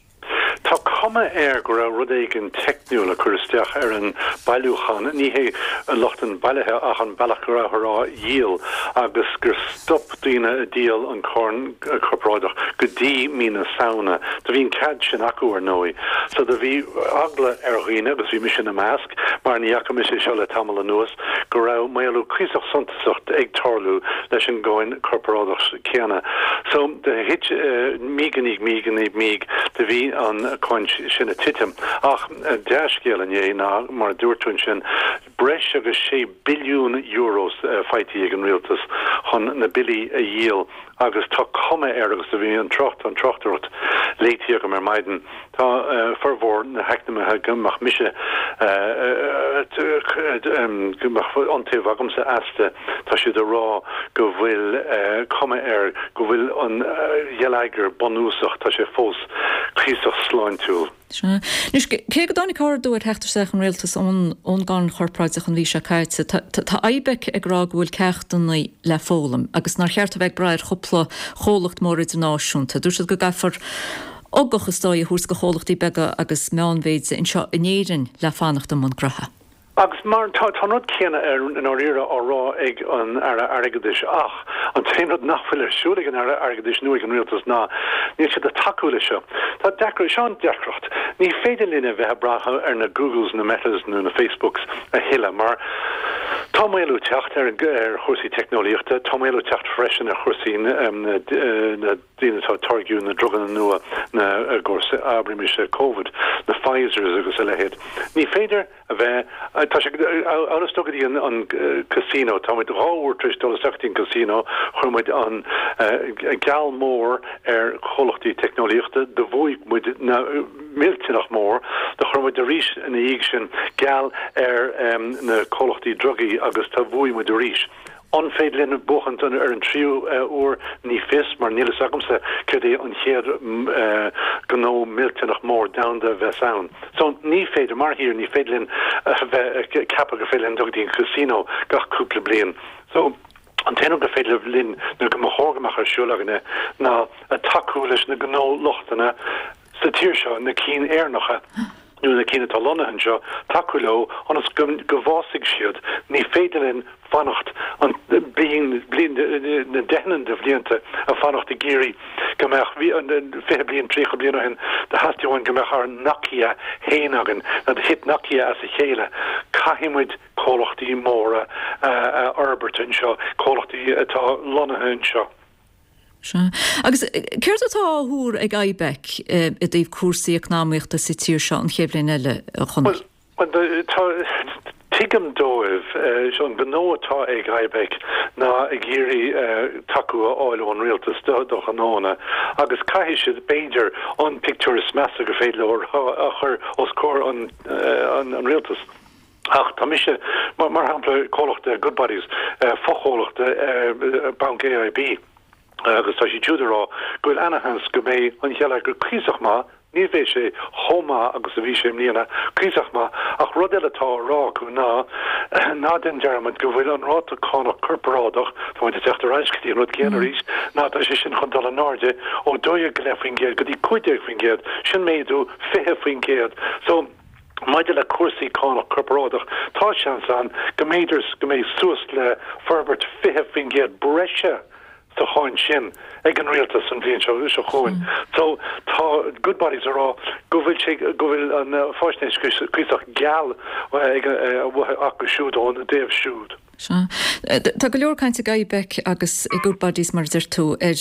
Tá. cuma air go raibh rud éigin teicniúil ag cur isteach ar an bailiúchán, ní hé lucht an bailithe ach an bealach go rabhthar á dhíol agus gur stop daoine ag díol an cáin corparáideach go dtí mí na Samhna. Do bhí an cead sin acu ar ndóigh. So do bhí eagla ar dhaoine, agus bhí mise ina measc, mar ní fhaca mise seo le tamall anuas, go raibh maolú cuíosach suntasach ag tarlú leis an gcáin corparáideach céanna. So do thit míog i ndiaidh míog i ndiaidh míog do bhí an cáin sin ag titim. Ach dea-scéal inné ná, mar a dúirt tú ansin, breis agus €6 billiún faighte ag an rialtas chun na billí a dhíol agus tá cuma air, agus do bhí an trácht, an tráchtaireacht léite agam ar maidin, tá formhór na heacnamaithe go mbeadh mise, go mbeadh iontaoibh agamsa astu, tá siad ag rá go bhfuil cuma air go bhfuil an gheilleagar bunúsach, tá sé fós cuíosach sláintiúil. Sea. Anois, cé go dtáinig ardú ar theacht isteach an rialtais ón gcáin chorparáideach an mhí seo caite, tá IBEC ag rá go bhfuil ceachtanna le foghlaim agus nár cheart a bheith ag brath ar chúpla chomhlacht mór idirnáisiúnta. Dúirt siad go gcaithfear ugach is dóigh a thabhairt do chomhlachtaí beaga agus meánmhéide anseo in Éirinn le fanacht i mbun gnoithe. Agus mar, tá, tá an rud céanna i ndáiríre á rá ag an Aire Airgeadais ach an t-aon rud nach bhfuil ar siúl ag an Aire Airgeadais nó ag an Rialtas ná níl siad ag tacú leis seo. Tá deacracht, seo an deacracht, ní féidir linn a bheith ag brath ar na Googles, na Metas nó na Facebooks a thuilleadh mar tá maolú ag teacht ar, ar chúrsaí teicneolaíochta, tá maolú ag teacht freisin ar chúrsaí na, na daoine atá ag táirgiú na druganna nua, na, i gcúrsaí, abraimis, Covid, na Pfizers agus a leithéid. Ní féidir. a bheith, tá sé amhail is dul go dtí an casino, tá muid 2 uair tar éis dul isteach go dtí an casino, chuir muid an geall mór ar chomhlachtaí teicneolaíochta, do bhuaigh muid millteanach mór, do chuir muid arís ina dhiaidh sin geall ar na comhlachtaí drugaí agus do bhuaigh muid arís. An féidir linn buachaint ar an tríú uair? Ní fios, mar níl fhios agamsa céard é an chéad gnó millteanach mór domhanda a bheas ann. So, ní féidir, mar thír, ní féidir linn a bheith ag ceapadh gur féidir linn dul go dtí an casino gach cúpla bliain. So, an t-aon rud gur féidir linn, nó go mba chóir go mbeadh ar siúl againne, ná tacú leis na gnóluchtanna, sa tír seo, na cinn Éireannacha nó na cinn atá lonnaithe anseo, tacú leo ionas go go bhfásfaidh siad. Ní féidir linn fanacht an bliain, bliain, na deicheanna de bhlianta ag fanacht ag iarraidh go mbeadh, bhí an 20 bliain, 30 bliain ó shin, do theastaigh uainn go mbeadh ár Nokia féin againn, nó do thit Nokia as a chéile. Caithfidh muid comhlachtaí móra a fhorbairt anseo, comhlachtaí atá lonnaithe anseo. Sea. Agus céard atá á thuar ag IBEC i dtaobh cúrsaí eacnamaíochta sa tír seo an chéad bhliain eile, a Chonaill? Bhuel, tá, tuigim dóibh, an gnó atá ag IBEC ná ag iarraidh tacú a fháil ón rialtas do ghnóanna agus caithfidh siad, b'fhéidir, an pictiúr is measa gur féidir leo a chur os comhair an rialtais. Ach tá mise, mar shampla, comhlacht Goodbodys, fochomhlacht Banc AIB, agus tá siad siúd ag rá go bhfuil ana-sheans go mbeidh an geilleagar cuíosach maith, ní bheidh sé chomh maith agus a bhí sé i mbliana, cuíosach maith, ach rud eile atá á rá acu ná, ná déan dearmad go bhfuil an ráta cánach corparáideach, tá muid ag teacht ar ais go dtí an rud céanna arís, ná tá sé sin chun dul in airde ó 12.5% go dtí 15%, sin méadú 20%. So. Maidir le cúrsaí cánach corparáideach, tá seans ann go mb'fhéidir go mbeidh suas le forbairt 20% breise sa cháin sin ag an rialtas an bhliain seo chugainn. So tá Goodbodys ag rá go bhfuil sé, go bhfuil an fáisnéis cuíosach geal ag acu siúd ón dtaobh siúd. Sea. Tá go leor cainte ag IBEC agus ag Goodbodys, mar a deir tú, ar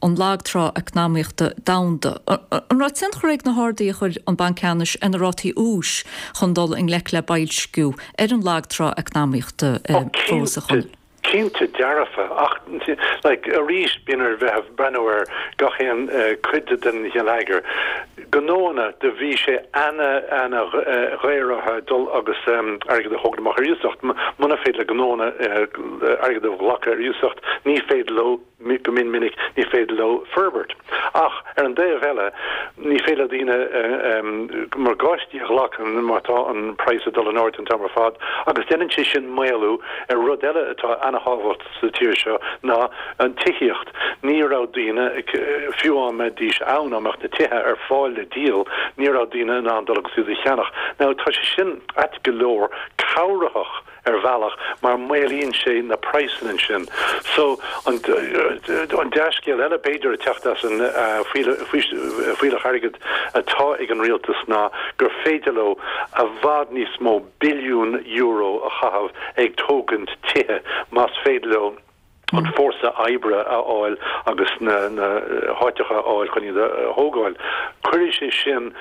an lag trá eacnamaíochta domhanda. An raibh tionchar ag na harduithe a chuir an Banc Ceannais ar na rátaí úis chun dul i ngleic le boilsciú ar an lag trá eacnamaíochta fós, a Chonaill? Cinnte dearfa, ach like arís bíonn ar bheith ag breathnú ar gach aon cuid den gheilleagar. Gnóanna, do bhí sé ana, ana dhaor orthu dul agus airgead a thógaint amach ar iasacht. Muna féidir le gnóanna airgead a ghlacadh ar iasacht, ní féidir leo, go mion minic, ní féidir leo forbairt. Ach ar an dtaobh eile, ní féidir le daoine morgáistí a ghlacadh má tá an praghas ag dul in airde an t-am ar fad agus déanann sé sin maolú ar rud eile atá ana. ana-thábhacht sa tír seo ná an tithíocht. Ní raibh daoine, fiú á mbeidís ann, á mbeadh na tithe ar fáil le díol, ní raibh daoine in ann dul agus iad a cheannach. Now tá sé sin ait go leor cabhraitheach ar bhealach mar maolaíonn sé na praghsanna ansin. So an dea-scéal eile b'fhéidir ag teacht as an fuílleach airgid atá ag an rialtas ná gur féidir leo i bhfad níos mó billiún euro a chaitheamh ag tógaint tithe más féidir leo an fórsa oibre a fháil agus na háiteacha a fháil chun iad a thógáil. Cuirfidh sé sin,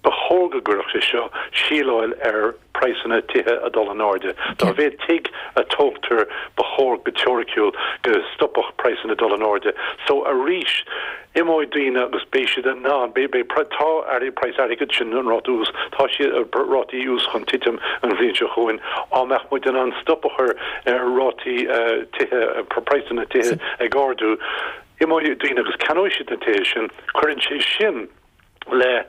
ba chóir go gcuirfeadh sé seo, síleáil ar praghsanna tithe a dul in airde. Dá mhéad tigh a tógtar, ba chóir go teoiriciúil go stopfadh praghsanna dul in airde. So arís, Imeoidh daoine agus beidh siad in ann, beidh, beidh, tá praghas airgid, sin an ráta ús, tá siad, rátaí ús chun titim an bhliain seo chugainn. Á mbeadh muid in ann stop a chur ar rátaí tithe, praghsanna tithe ag ardú, imeoidh daoine agus ceannóidh siad na tithe sin, cuireann sé sin le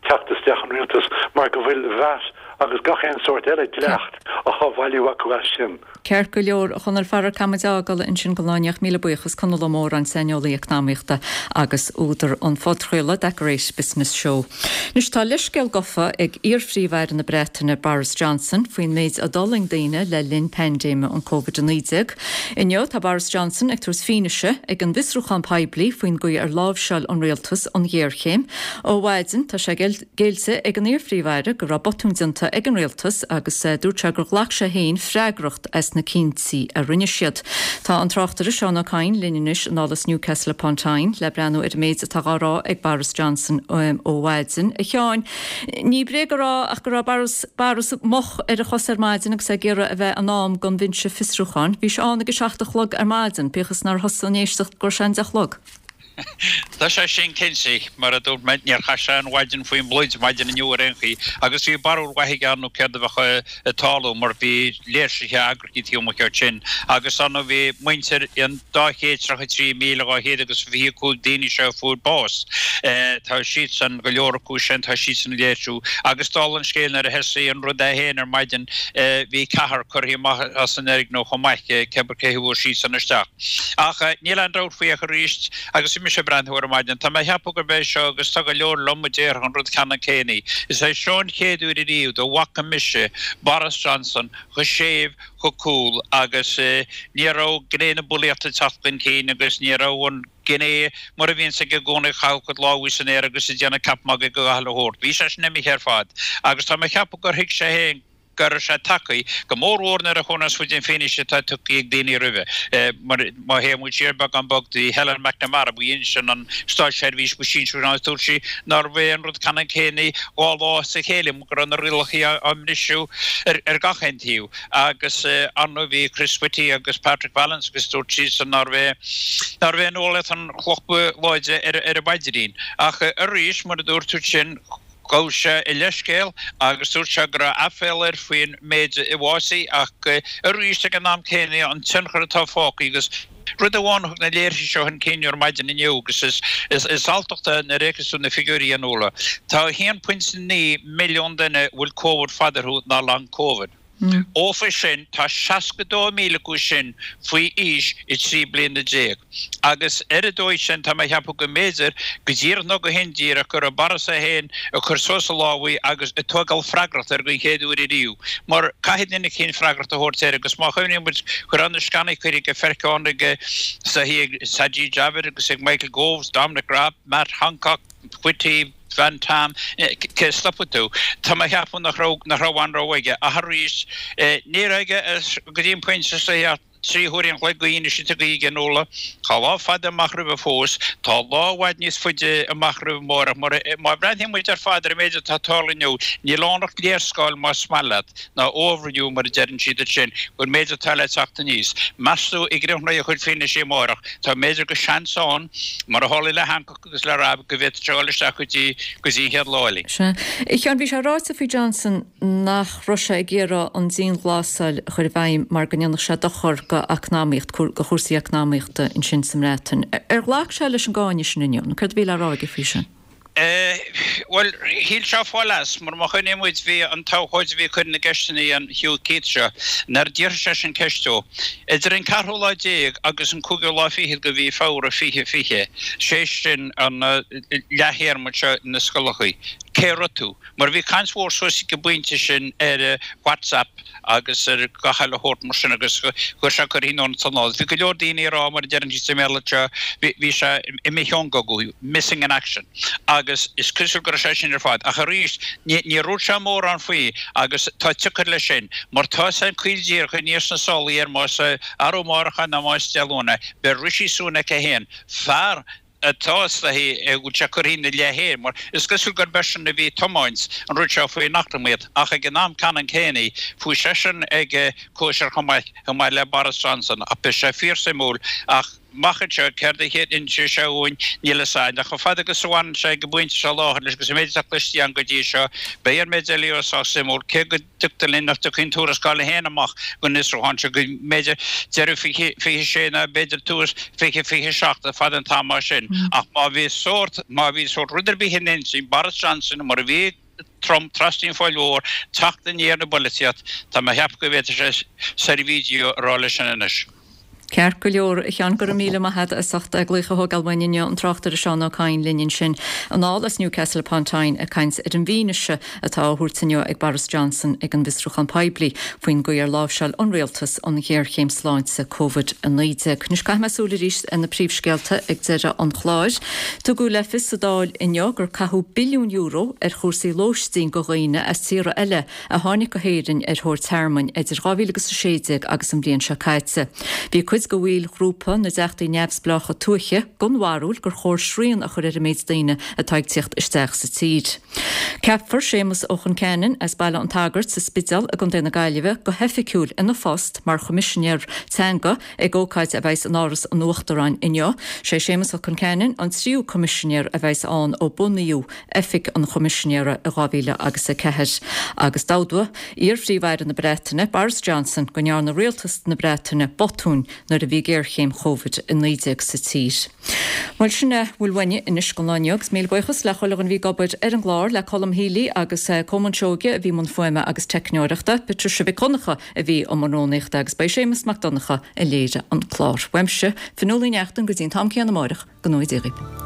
teacht isteach an rialtais mar go bhfuil VAT agus gach aon sórt eile dleacht á bhailiú acu as sin. Ceart go leor, a Chonaill, faraor caithfidh muid é a fhágáil ansin don lá inniu. Míle buíochas, Conall Ó Móráin, saineolaí eacnamaíochta agus údar an phodchraoladh That Great Business Show. Anois tá leithscéal gofa ag iar-Phríomh-Aire na Breataine Boris Johnson faoin méid a d'fhulaing daoine le linn paindéime an Covid-19. Inniu tá Boris Johnson ag tabhairt fianaise ag an bhfiosrúchán poiblí faoin gcaoi ar láimhseáil an rialtas an ghéarchéim. Ó mhaidin tá sé géillte ag an iar-Phríomh-Aire go raibh botúin déanta ag an rialtas agus dúirt sé gur ghlac sé féin freagracht as na cinntí a rinne siad. Tá an tráchtaire Seán Ó Cadhain linn anois anall as Newcastle upon Tyne le breathnú ar an méid atá dhá rá ag Boris Johnson ó mhaidin. A Sheáin, ní bréag a rá ach go raibh Boris Boris moch ar a chosa ar maidin agus é ag iarraidh a bheith in am don bhinse fiosrúcháin. Bhí sé ann ag a seacht a chlog ar maidin, bíodh is nár thosaigh an éisteacht go raibh sé an deich a chlog. Tá sé sin cinnte. Mar a dúirt mé, níor chaith sé an mhaidin faoin bpluid maidin inniu ar aon chaoi agus bhí barúil mhaith aige ann céard a bheadh ag tarlú mar bhí léirsithe eagraithe taobh amuigh ansin agus ar ndóigh bhí muintir an 233,200 agus 25 daoine seo a fuair bás, tá siadsan, go leor acu sin, tá siadsan ag léirsiú agus dála an scéil nuair a thosaigh an rud é féin ar maidin bhí ceathrar curtha amach as an fhoirgneamh chomh maith, cé cé a fuair siadsan isteach. Ach níl aon dabht faoi ach arís, agus bhí mise ag breathnú ar maidin, tá mé a cheapadh gurb é seo, agus tá go leor liom a déarfadh an rud ceannann céanna, is é seo an chéad uair ariamh dá bhfaca mise Boris Johnson chomh séimh, chomh cool agus ní raibh gné na bulaíochta ag teacht chun cinn agus ní raibh an gné mar a bhíonns aige i gcónaí ag caitheamh a chuid lámha san aer agus ag déanamh ceap magaidh de gach uile shórt. Bhí sé sin imithe ar fad agus tá mé a cheapadh gur thuig sé féin go raibh sé tagtha, go mór mhór nuair a chonacthas muid an fianaise atá tugtha ag daoine roimhe. Mar má théann muid siar beagán beag, bhí Helen MacNamara, ba í sin an státseirbhíseach ba sinsearaí ann, dúirt sí nárbh é an rud ceannann céanna dhá lá as a chéile, go raibh na rialacha á mbriseadh ar gach aon taobh. Agus ar ndóigh bhí Chris Whitty agus Patrick Vallance agus dúirt siadsan nárbh é nárbh é an eolaíocht an chloch ba láidre ar a bpaidrín. Ach arís, mar a dúirt tú ansin, Ghabh sé a leithscéal agus dúirt sé go raibh aiféala air faoin méid a bhásaigh ach arís ag an am céanna an tionchar atá fágtha agus rud amháin a thug na léirsithe seo chun cinn ar maidin inniu agus is alltacht é nuair a fheiceas tú na figiúirí a Nuala. Tá 1.9 milliún duine a bhfuil Covid fada orthu ná long Covid. Ófa sin, tá 62,000 acu sin faoi aois 13 bliana. Agus ar an dóigh sin, tá mé a cheapadh go mb'fhéidir, go díreach nó go hindíreach, go raibh Boris é féin ag cur suas a lámhaí agus ag tógáil freagracht air den chéad uair ariamh. Mar caithfidh duine eicínt freagracht a thabhairt air agus má chuimhníonn muid go raibh na sceanaí curtha ag Pheirceánaigh ag Sajid Javid agus ag Michael Gove, Dominic Raab, Matt Hancock, Whitty, Van Tam, cé stopfaidh tú? Tá mé a cheapadh nach raibh, nach raibh aon rogha aige. Ach arís, ní raibh aige go dtí an pointe seo ach 3 huaire an chloig d'fhianaise tugtha aige a Nuala. Tá lá fada amach roimhe fós. Tá lá i bhfad níos faide amach roimhe amárach. Mar má bhreathnaíonn muid ar fad ar an méid atá ag tarlú inniu, níl ann ach léarscáil más maith leat, nó overview mar a deireann siad ansin, den méid atá le teacht aníos. Meas tú i gcríochnú a chuid fianaise amárach, tá b'fhéidir go seans ann, mar a tharla le Hancock, agus le Raab go bhféadfadh sé a dhul isteach go dtí go dtí an chéad lá eile. Sea. A Sheáin, bhí sé ráite faoi Johnson nach raibh sé ag iarraidh an dianghlasáil a chur i bhfeidhm mar go ndéanfadh sé dochar go eacnamaíocht, go chúrsaí eacnamaíochta ansin sa mBreatain. Ar ghlac sé leis an gcáineadh sin inniu nó céard a bhí le rá aige faoi sin? Bhuel, shíl sé fáil as, mar má chuimhníonn muid, bhí an t-abhcóide a bhí ag cur na gceisteanna an Hugh Keith seo, nuair a d'fhiafraigh seisean ceist dó, idir an ceathrú lá déag agus an cúigiú lá fichead de mhí Feabhra 2020, sé sin an leath-théarma seo na scoileachaí, cé raibh tú? Mar bhí caint mhór suas ag an bpointe sin ar WhatsApp, agus ar gach uile shórt mar sin agus chuir sé curtha in ionad san áit. Bhí go leor daoine ag rá, mar a deireann siad sa mBéarla seo, bhí sé imithe ón gcogadh, missing in action, agus is cosúil go raibh sé sin ar fad. Ach arís, níor dhúirt sé mórán faoi agus tá siocair leis sin, mar tá sé caol díreach aníos sna sálaí air más arú amárach é nó más Dé Luain é, beidh Rishi Sunak é féin, fear atá is dóichí go bhfuil sé curtha ina leith féin, mar is cosúil gurb eisean a bhí ag tiomáint an rud seo faoin eacnamaíocht, ach ag an am ceannann céanna, chuaigh seisean ag cóisir chomh maith, chomh maith le Boris Johnson, ach beidh sé fíorsuimiúil, ach amach anseo, céard a inseoidh sé dhúinn, níl a fhios a'inn, ach chomh fada agus a bhaineann sé ag an bpointe seo láthair leis agus an méid atá cloiste againn go dtí seo, beidh an méid eile sách suimiúil, cé go. dtuigtear linn nach dtiocfaidh an tuarascáil féin amach don fhiosrúchán seo go mb'fhéidir deireadh 2026 nó b'fhéidir tús 2027 fad an t-am sin. Ach má bhí sórt, má bhí sórt rud ar bith in intinn Boris Johnson mar a bhí ag Trump trasna an Phoill Mhóir teacht aniar na bpolaitíocht, tá mé a cheapadh go bhféadfadh sé servigio a rá leis sin anois. Ceart go leor, a Sheáin, go raibh míle maith agat as ucht glaoch a thógáil uainn inniu, an tráchtaire Seán Ó Cadhain linn ansin anall as Newcastle upon Tyne ag caint ar an bhfianaise atá á thabhairt inniu ag Boris Johnson ag an bhfiosrúchán poiblí faoin gcaoi ar láimhseáil an rialtas an ghéarchéim sláinte Covid-19. Anois caithfidh mé súil arís ar na príomhscéalta ag deireadh an chláir. Tugadh le fios sa Dáil inniu gur caitheadh billiún euro ar chúrsaí lóistín do dhaoine as tíortha eile a tháinig go hÉirinn ar thóir tearmainn idir 2016 agus an bhliain seo caite. Bhí cuid de bhaill ghrúpa na dTeachtaí Neamhspleácha Tuaithe den bharúil gur chóir srian a chur ar an méid daoine atá ag tíocht isteach sa tír. Ceapfar Séamus Ó Concheanainn as Baile an tSagairt sa Spidéal i gContae na Gaillimhe go hoifigiúil ina phost mar Choimisinéir Teanga ag ócáid a bheidhs in Áras an Uachtaráin inniu. Sé Séamus Ó Concheanainn an tríú Coimisinéir a bheidhs ann ó bunaíodh Oifig an Choimisinéara i 2004 agus d'admhaigh iar-Phríomh-Aire na Breataine, Boris Johnson, go ndearna rialtas na Breataine botúin nuair a bhí géarchéim Covid-19 sa tír. Bhuel, sin a bhfuil uainne anois don lá inniu agus míle buíochas le chuile dhuine a bhí ag obair ar an gclár, le Colm Healy agus Colmán Seoige a bhí i mbun fuaime agus teicneoireachta, Patricia Mhic Dhonncha a bhí i mbun rúnaíochta agus ba é Séamus Mac Donncha a léirigh an clár. Uaimse, Fionnuala Ní Neachtain, go dtí an t-am céanna amáireach, go ngnóthaí Dia dhaoibh.